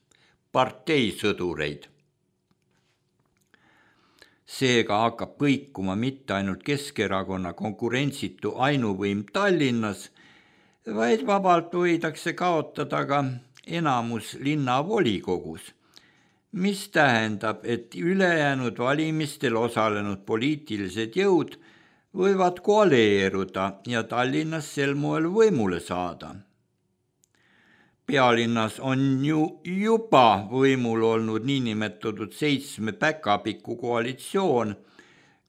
parteisõdureid. Seega hakkab kõikuma mitte ainult Keskerakonna konkurentsitu ainuvõim Tallinnas, vaid vabalt võidakse kaotada ka enamus linnavolikogus, mis tähendab, et ülejäänud valimistel osalenud poliitilised jõud võivad koaleeruda ja Tallinnas sel moel võimule saada. Pealinnas on ju juba võimul olnud niinimetatud 7 päkapiku koalitsioon,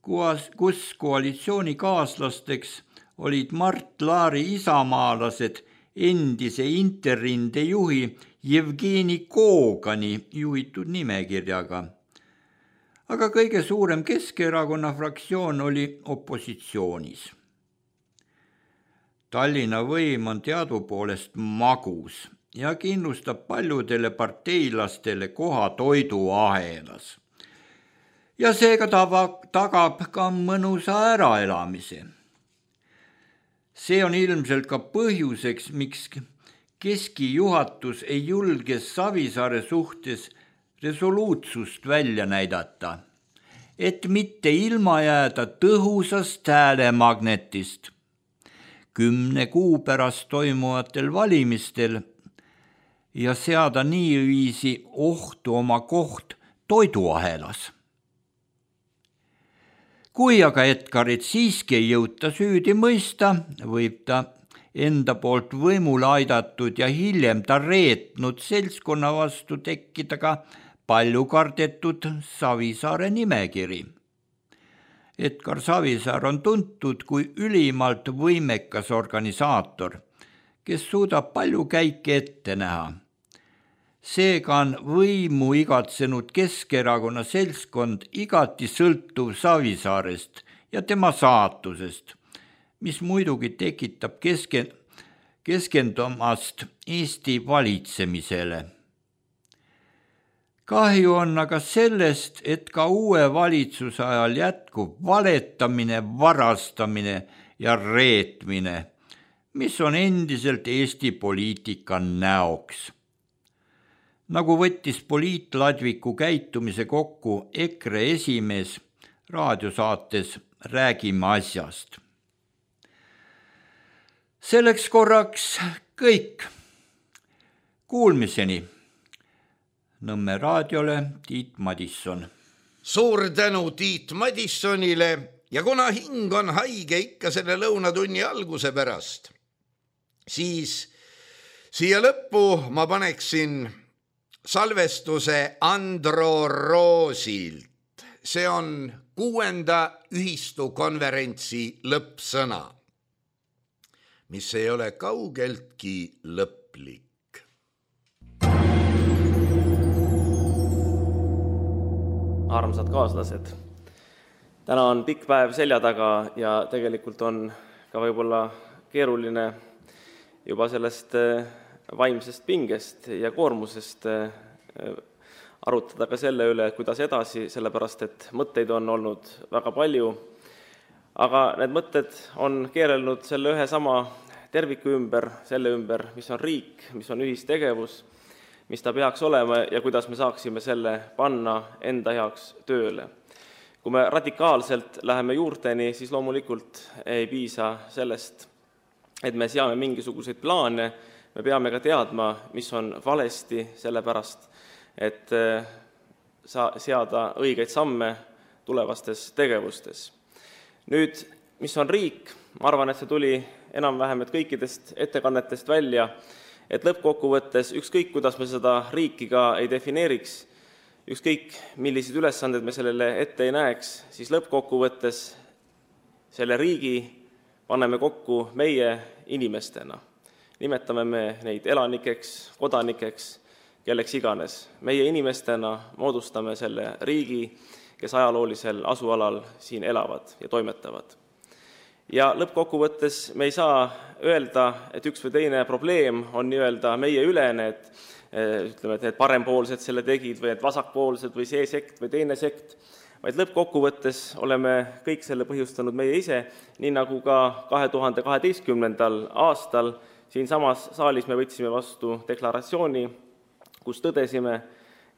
kus koalitsioonikaaslasteks olid Mart Laari isamaalased endise Interrinde juhi Jevgeni Kogani juhitud nimekirjaga. Aga kõige suurem Keskerakonna fraktsioon oli opositsioonis. Tallinna võim on teadupoolest magus ja kindlustab paljudele parteilastele koha toiduahelas. Ja seega tagab ka mõnusa äraelamise. See on ilmselt ka põhjuseks, miks keskijuhatus ei julge Savisaare suhtes resoluutsust välja näidata, et mitte ilma jääda tõhusast häälemagnetist. 10 kuu pärast toimuvatel valimistel ja seada niiviisi ohtu oma koht toiduahelas. Kui aga Edgarit siiski ei jõuta süüdi mõista, võib ta enda poolt võimule aidatud ja hiljem ta reetnud seltskonna vastu tekkida ka palju kardetud Savisaare nimekiri. Edgar Savisaar on tuntud kui ülimalt võimekas organisaator, kes suudab palju käike ette näha. Seega on võimu igatsenud Keskerakonna seltskond igati sõltuv Savisaarest ja tema saatusest, mis muidugi tekitab keskendumast Eesti valitsemisele. Kahju on aga sellest, et ka uue valitsuse ajal jätkub valetamine, varastamine ja reetmine, mis on endiselt Eesti poliitika näoks. Nagu võttis poliitladviku käitumise kokku EKRE esimees raadiosaates Räägime asjast. Selleks korraks kõik. Kuulmiseni. Nõmme raadiole Tiit Madisson. Suur tänu Tiit Madissonile ja kuna hing on haige ikka selle lõunatunni alguse pärast, siis siia lõppu ma paneksin salvestuse Andro Roosilt. See on 6. ühistukonverentsi lõppsõna, mis ei ole kaugeltki lõplik. Armsad kaaslased, täna on pikk päev selja taga ja tegelikult on ka võib-olla keeruline juba sellest vaimsest pingest ja koormusest arutada ka selle üle, kuidas edasi, sellepärast et mõtteid on olnud väga palju, aga need mõtted on keerelnud selle ühe sama terviku ümber, selle ümber, mis on riik, mis on ühistegevus, mis ta peaks olema ja kuidas me saaksime selle panna enda heaks tööle. Kui me radikaalselt läheme juurteni, siis loomulikult ei piisa sellest, et me seame mingisuguseid plaane, me peame ka teadma, mis on valesti, sellepärast, et seada õigeid samme tulevastes tegevustes. Nüüd, mis on riik? Ma arvan, et see tuli enam-vähem kõikidest ettekannetest välja, et lõppkokkuvõttes ükskõik, kuidas me seda riiki ka ei defineeriks, ükskõik, millised ülesanded me sellele ette ei näeks, siis lõppkokkuvõttes selle riigi paneme kokku meie inimestena. Nimetame me neid elanikeks, kodanikeks, kelleks iganes. Meie inimestena moodustame selle riigi, kes ajaloolisel asualal siin elavad ja toimetavad. Ja lõppkokkuvõttes me ei saa öelda, et üks või teine probleem on nii-öelda meie ülene, et need parempoolsed selle tegid või need vasakpoolsed või see sekt või teine sekt, vaid lõppkokkuvõttes oleme kõik selle põhjustanud meie ise, nii nagu ka 2012. aastal siin samas saalis me võtsime vastu deklaratsiooni, kus tõdesime,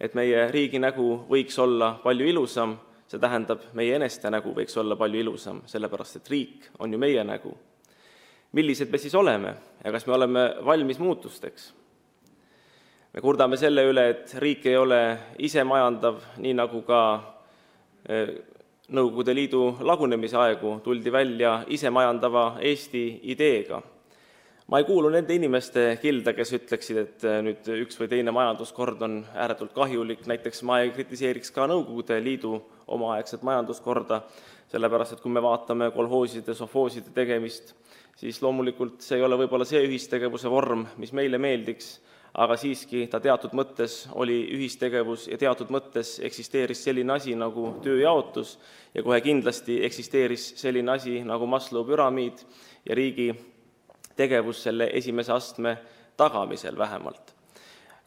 et meie riigi nägu võiks olla palju ilusam, see tähendab, meie eneste nägu võiks olla palju ilusam, sellepärast et riik on ju meie nägu. Millised me siis oleme ja kas me oleme valmis muutusteks? Me kurdame selle üle, et riik ei ole ise majandav, nii nagu ka Nõukogude Liidu lagunemise aegu tuldi välja ise majandava Eesti ideega. Ma ei kuulu nende inimeste kilda, kes ütleksid, et nüüd üks või teine majanduskord on ääretult kahjulik. Näiteks ma ei kritiseeriks ka Nõukogude Liidu omaaegset majanduskorda, sellepärast, et kui me vaatame kolhooside, sofooside tegemist, siis loomulikult see ei ole võib-olla see ühistegevuse vorm, mis meile meeldiks, aga siiski ta teatud mõttes oli ühistegevus ja teatud mõttes eksisteeris selline asi nagu tööjaotus ja kohe kindlasti eksisteeris selline asi nagu Maslow püramiid ja riigi tegevus selle esimese astme tagamisel vähemalt.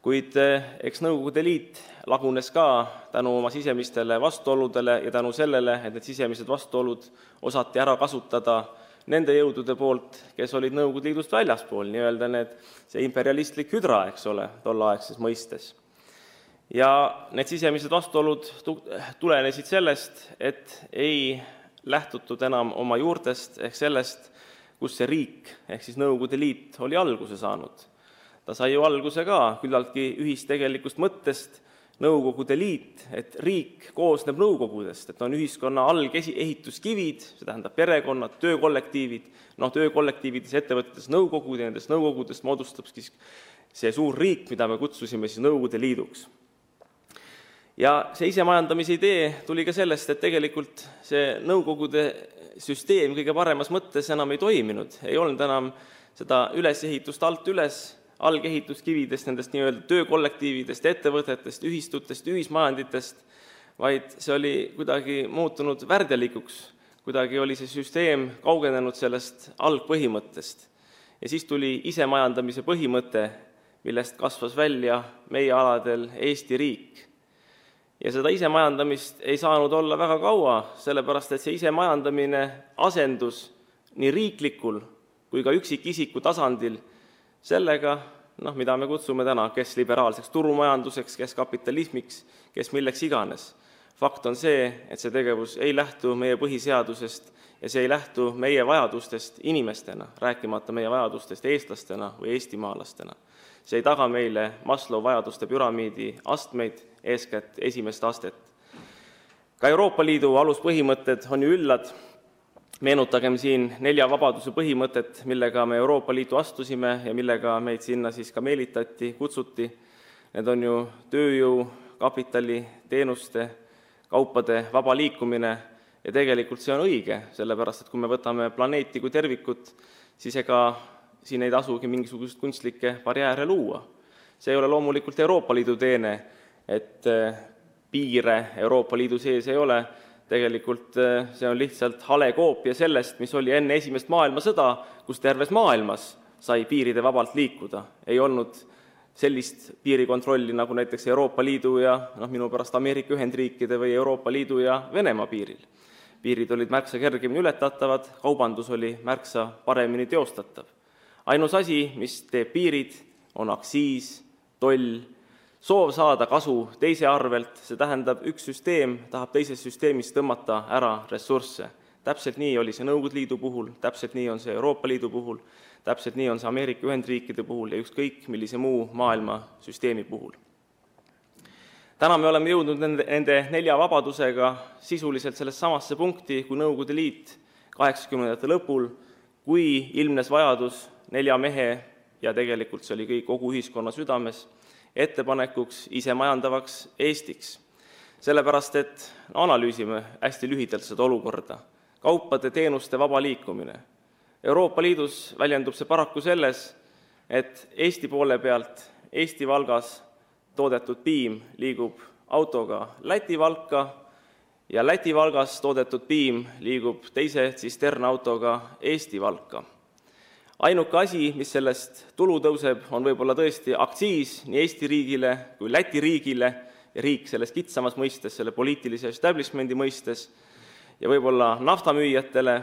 Kuid eks Nõukogude Liit lagunes ka tänu oma sisemistele vastuoludele ja tänu sellele, et need sisemised vastuolud osati ära kasutada nende jõudude poolt, kes olid Nõukogude Liidust väljaspool, nii-öelda see imperialistlik hüdra, eks ole, tolleaegses mõistes. Ja need sisemised vastuolud tulenesid sellest, et ei lähtutud enam oma juurtest ehk sellest, kus see riik ehk siis Nõukogude Liit oli alguse saanud. ta sai ju alguse ka küllaltki ühistegelikust mõttest, Nõukogude Liit, et riik koosneb nõukogudest, et on ühiskonna algehituskivid, see tähendab perekonnad, töökollektiivid, töökollektiivides, ettevõtetes nõukogud ja nendest nõukogudest moodustab see suur riik, mida me kutsusime siis Nõukogude Liiduks. Ja see isemajandamise idee tuli ka sellest, et tegelikult see Nõukogude süsteem kõige paremas mõttes enam ei toiminud, ei olnud enam seda ülesehitust alt üles, algehituskividest, nendest nii-öelda töökollektiividest, ettevõtetest, ühistutest, ühismajanditest, vaid see oli kuidagi muutunud värdjalikuks, kuidagi oli see süsteem kaugenenud sellest algpõhimõttest. Ja siis tuli isemajandamise põhimõte, millest kasvas välja meie aladel Eesti riik. Ja seda isemajandamist ei saanud olla väga kaua, sellepärast et see isemajandamine asendus nii riiklikul kui ka üksikisiku tasandil sellega, mida me kutsume täna, kes liberaalseks turumajanduseks, kes kapitalismiks, kes milleks iganes. Fakt on see, et see tegevus ei lähtu meie põhiseadusest ja see ei lähtu meie vajadustest inimestena, rääkimata meie vajadustest eestlastena või eestimaalastena. See ei taga meile Maslow vajaduste püramiidi astmeid, eeskätt esimest astet. Ka Euroopa Liidu aluspõhimõtted on ju üllad. Meenutagem siin 4 vabaduse põhimõtet, millega me Euroopa Liitu astusime ja millega meid sinna siis ka meelitati, kutsuti. Need on ju tööjõu, kapitali, teenuste, kaupade vaba liikumine ja tegelikult see on õige, sellepärast et kui me võtame planeeti kui tervikut, siis ega siin ei tasugi mingisugust kunstlikke barjääre luua. See ei ole loomulikult Euroopa Liidu teene, et piire Euroopa Liidu sees ei ole. Tegelikult see on lihtsalt hale koopia sellest, mis oli enne esimest maailmasõda, kus terves maailmas sai piiride vabalt liikuda. Ei olnud sellist piirikontrolli nagu näiteks Euroopa Liidu ja minu pärast Ameerika Ühendriikide või Euroopa Liidu ja Venemaa piiril. Piirid olid märksa kergemini ületatavad, kaubandus oli märksa paremini teostatav. Ainus asi, mis teeb piirid, on aktsiis, toll, soov saada kasu teise arvelt, see tähendab üks süsteem tahab teises süsteemis tõmmata ära ressursse. Täpselt nii oli see Nõukogude Liidu puhul, täpselt nii on see Euroopa Liidu puhul, täpselt nii on see Ameerika Ühendriikide puhul ja ükskõik millise muu maailma süsteemi puhul. Täna me oleme jõudnud nende 4 vabadusega sisuliselt sellest samasse punkti kui Nõukogude Liit 80ndate lõpul, kui ilmnes vajadus 4 mehe ja tegelikult see oli kõik kogu ühiskonna südames, ettepanekuks isemajandavaks Eestiks. Sellepärast, et analüüsime hästi lühidalt seda olukorda. Kaupade, teenuste vaba liikumine. Euroopa Liidus väljendub see paraku selles, et Eesti poole pealt Eesti Valgas toodetud piim liigub autoga Läti Valka ja Läti Valgas toodetud piim liigub teise tsisternautoga Eesti Valka. Ainuke asi, mis sellest tulu tõuseb, on võib-olla tõesti aktsiis nii Eesti riigile kui Läti riigile ja riik selles kitsamas mõistes, selle poliitilise establishmendi mõistes ja võib-olla naftamüüjatele,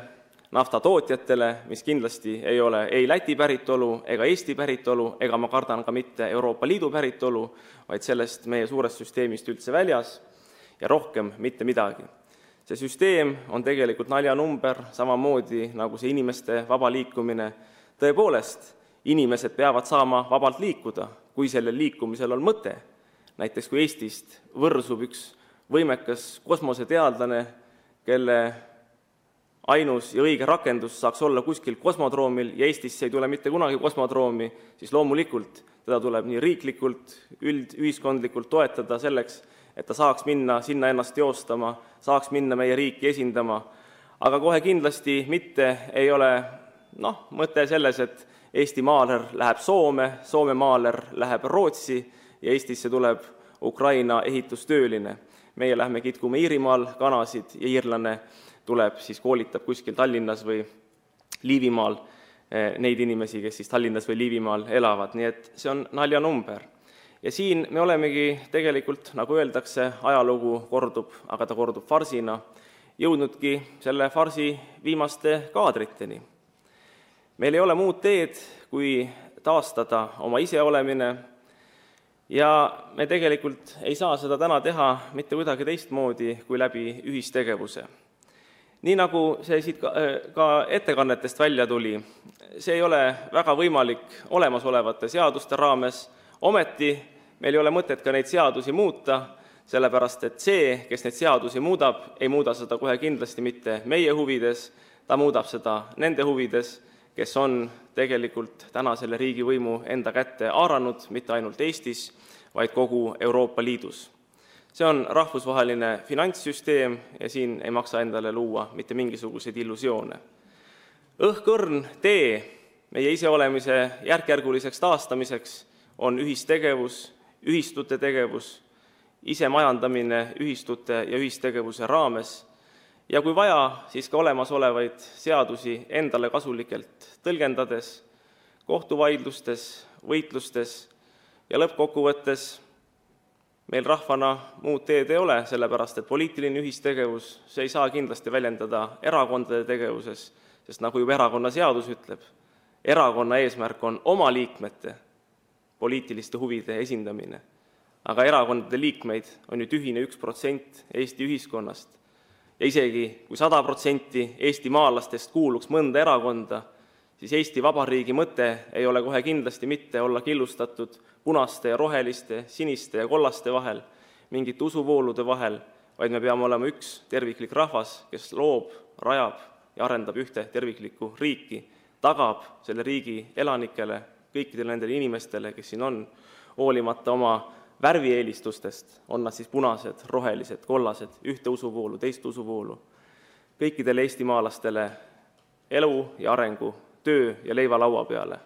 naftatootjatele, mis kindlasti ei ole ei Läti päritolu ega Eesti päritolu ega ma kardan ka mitte Euroopa Liidu päritolu, vaid sellest meie suurest süsteemist üldse väljas ja rohkem mitte midagi. See süsteem on tegelikult naljanumber, samamoodi nagu see inimeste vaba liikumine. Tõepoolest, inimesed peavad saama vabalt liikuda, kui sellel liikumisel on mõte. Näiteks kui Eestist võrsub üks võimekas kosmoseteadlane, kelle ainus ja õige rakendus saaks olla kuskil kosmodroomil ja Eestisse ei tule mitte kunagi kosmodroomi, siis loomulikult teda tuleb nii riiklikult, ühiskondlikult toetada selleks, et ta saaks minna sinna ennast teostama, saaks minna meie riiki esindama. Aga kohe kindlasti mitte ei ole mõte selles, et Eesti maaler läheb Soome, Soome maaler läheb Rootsi ja Eestisse tuleb Ukraina ehitustööline. Meie lähme kitkume Iirimaal kanasid ja iirlane tuleb, siis koolitab kuskil Tallinnas või Liivimaal neid inimesi, kes siis Tallinnas või Liivimaal elavad. Nii et see on naljanumber. Ja siin me olemegi tegelikult, nagu öeldakse, ajalugu kordub, aga ta kordub farsina, jõudnudki selle farsi viimaste kaadriteni. Meil ei ole muud teed, kui taastada oma iseolemine ja me tegelikult ei saa seda täna teha mitte kuidagi teistmoodi kui läbi ühistegevuse. Nii nagu see siit ka ettekannetest välja tuli, see ei ole väga võimalik olemasolevate seaduste raames, ometi meil ei ole mõtet ka neid seadusi muuta, sellepärast et see, kes neid seadusi muudab, ei muuda seda kohe kindlasti mitte meie huvides, ta muudab seda nende huvides, kes on tegelikult täna selle riigivõimu enda kätte haaranud, mitte ainult Eestis, vaid kogu Euroopa Liidus. See on rahvusvaheline finantssüsteem ja siin ei maksa endale luua mitte mingisuguseid illusioone. Õhkõrn tee meie iseolemise järkjärguliseks taastamiseks on ühistegevus, ühistute tegevus, isemajandamine ühistute ja ühistegevuse raames ja kui vaja, siis ka olemasolevaid seadusi endale kasulikelt tõlgendades, kohtuvaidlustes, võitlustes ja lõppkokkuvõttes meil rahvana muud teed ei ole, sellepärast et poliitiline ühistegevus, see ei saa kindlasti väljendada erakondade tegevuses, sest nagu juba erakonna seadus ütleb, erakonna eesmärk on oma liikmete poliitiliste huvide esindamine. Aga erakondade liikmeid on ju tühine 1% Eesti ühiskonnast. Ja isegi kui 100% Eesti maalastest kuuluks mõnda erakonda, siis Eesti Vabariigi mõte ei ole kohe kindlasti mitte olla killustatud punaste ja roheliste, siniste ja kollaste vahel, mingite usuvoolude vahel, vaid me peame olema üks terviklik rahvas, kes loob, rajab ja arendab ühte terviklikku riiki, tagab selle riigi elanikele, kõikidele nendele inimestele, kes siin on, hoolimata oma värvieelistustest, on nad siis punased, rohelised, kollased, ühte usuvoolu, teist usuvoolu, kõikidele eestimaalastele elu ja arengu, töö ja leiva laua peale.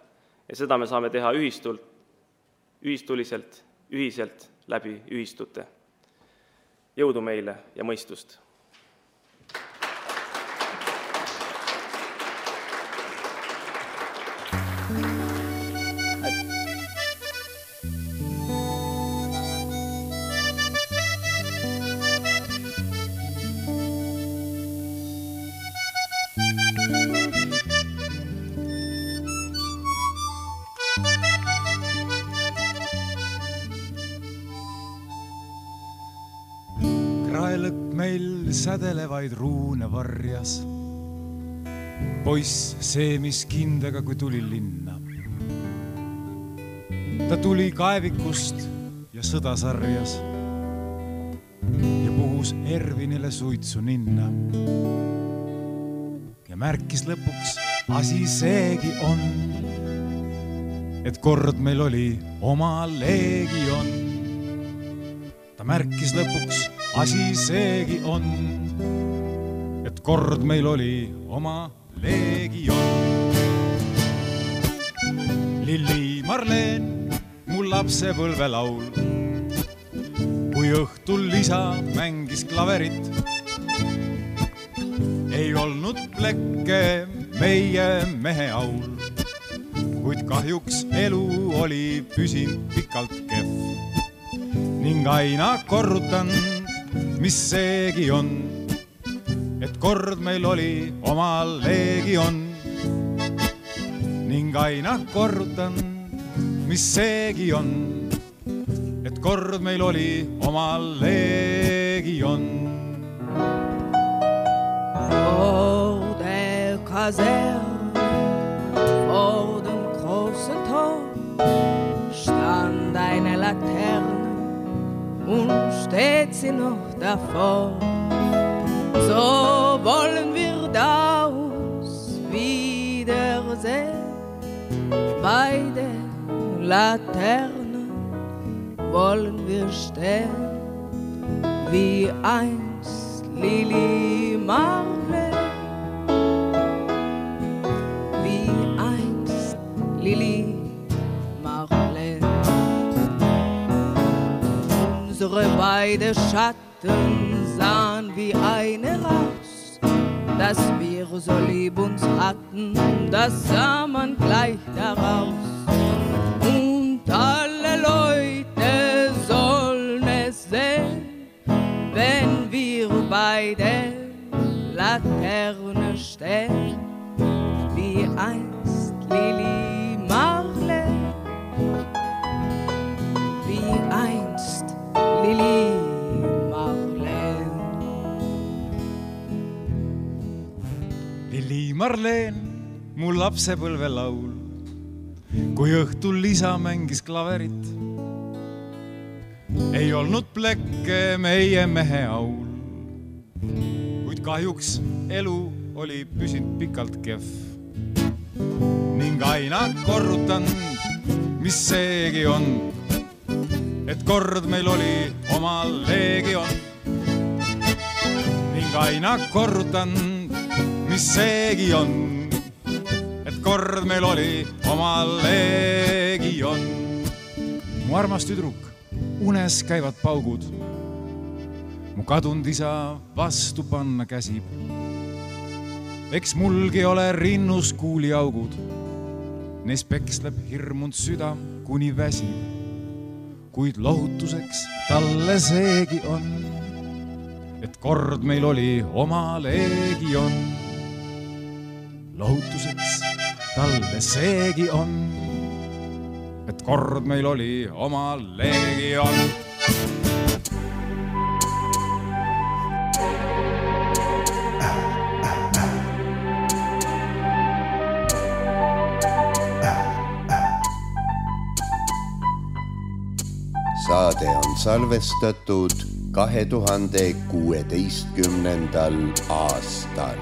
Ja seda me saame teha ühistuliselt, ühiselt läbi ühistute. Jõudu meile ja mõistust! Sädelevaid ruune varjas. Poiss seemis kindega, kui tuli linna. Ta tuli kaevikust ja sõda sarjas ja puhus Ervinile suitsu ninna. Ja märkis lõpuks asi seegi on, et kord meil oli oma leegion. Ta märkis lõpuks asi seegi on, et kord meil oli oma leegion. Lilli Marleen, mu lapsepõlvelaul, kui õhtul isa mängis klaverit, ei olnud plekke meie mehe aul, kuid kahjuks elu oli püsinud pikalt kehv ning aina korrutan, mis seegi on, et kord meil oli oma leegion. Ning aina korrutan, mis seegi on, et kord meil oli oma leegion. Vor der Kaserne, vor dem großen Tor, stand eine Laterne und steht sie noch davor. So wollen wir daus wiedersehen. Bei der Laterne wollen wir stehen, wie einst Lili Marleen, wie einst Lili Marleen. Unsere beide Schatten sahen wie eine raus, dass wir so lieb uns hatten, das sah man gleich daraus. Und alle Leute sollen es sehen, wenn wir bei der Laterne stehen, wie einst Lili Marleen, wie einst Lili Marleen. Marleen, mu lapsepõlve laul, kui õhtul isa mängis klaverit. Ei olnud plekke meie mehe aul, kuid kahjuks elu oli püsinud pikalt kehv. Ning aina korrutan, mis seegi on, et kord meil oli oma leegion. Ning aina korrutan, mis seegi on, et kord meil oli oma leegion. Mu armas tüdruk, unes käivad paugud, mu kadunud isa vastu panna käsib. Eks mulgi ole rinnus kuuliaugud, neis peksleb hirmunud süda kuni väsib. Kuid lohutuseks talle seegi on, et kord meil oli oma leegion. Lohutuseks talle seegi on, et kord meil oli oma leegion. Saade on salvestatud 2016. aastal.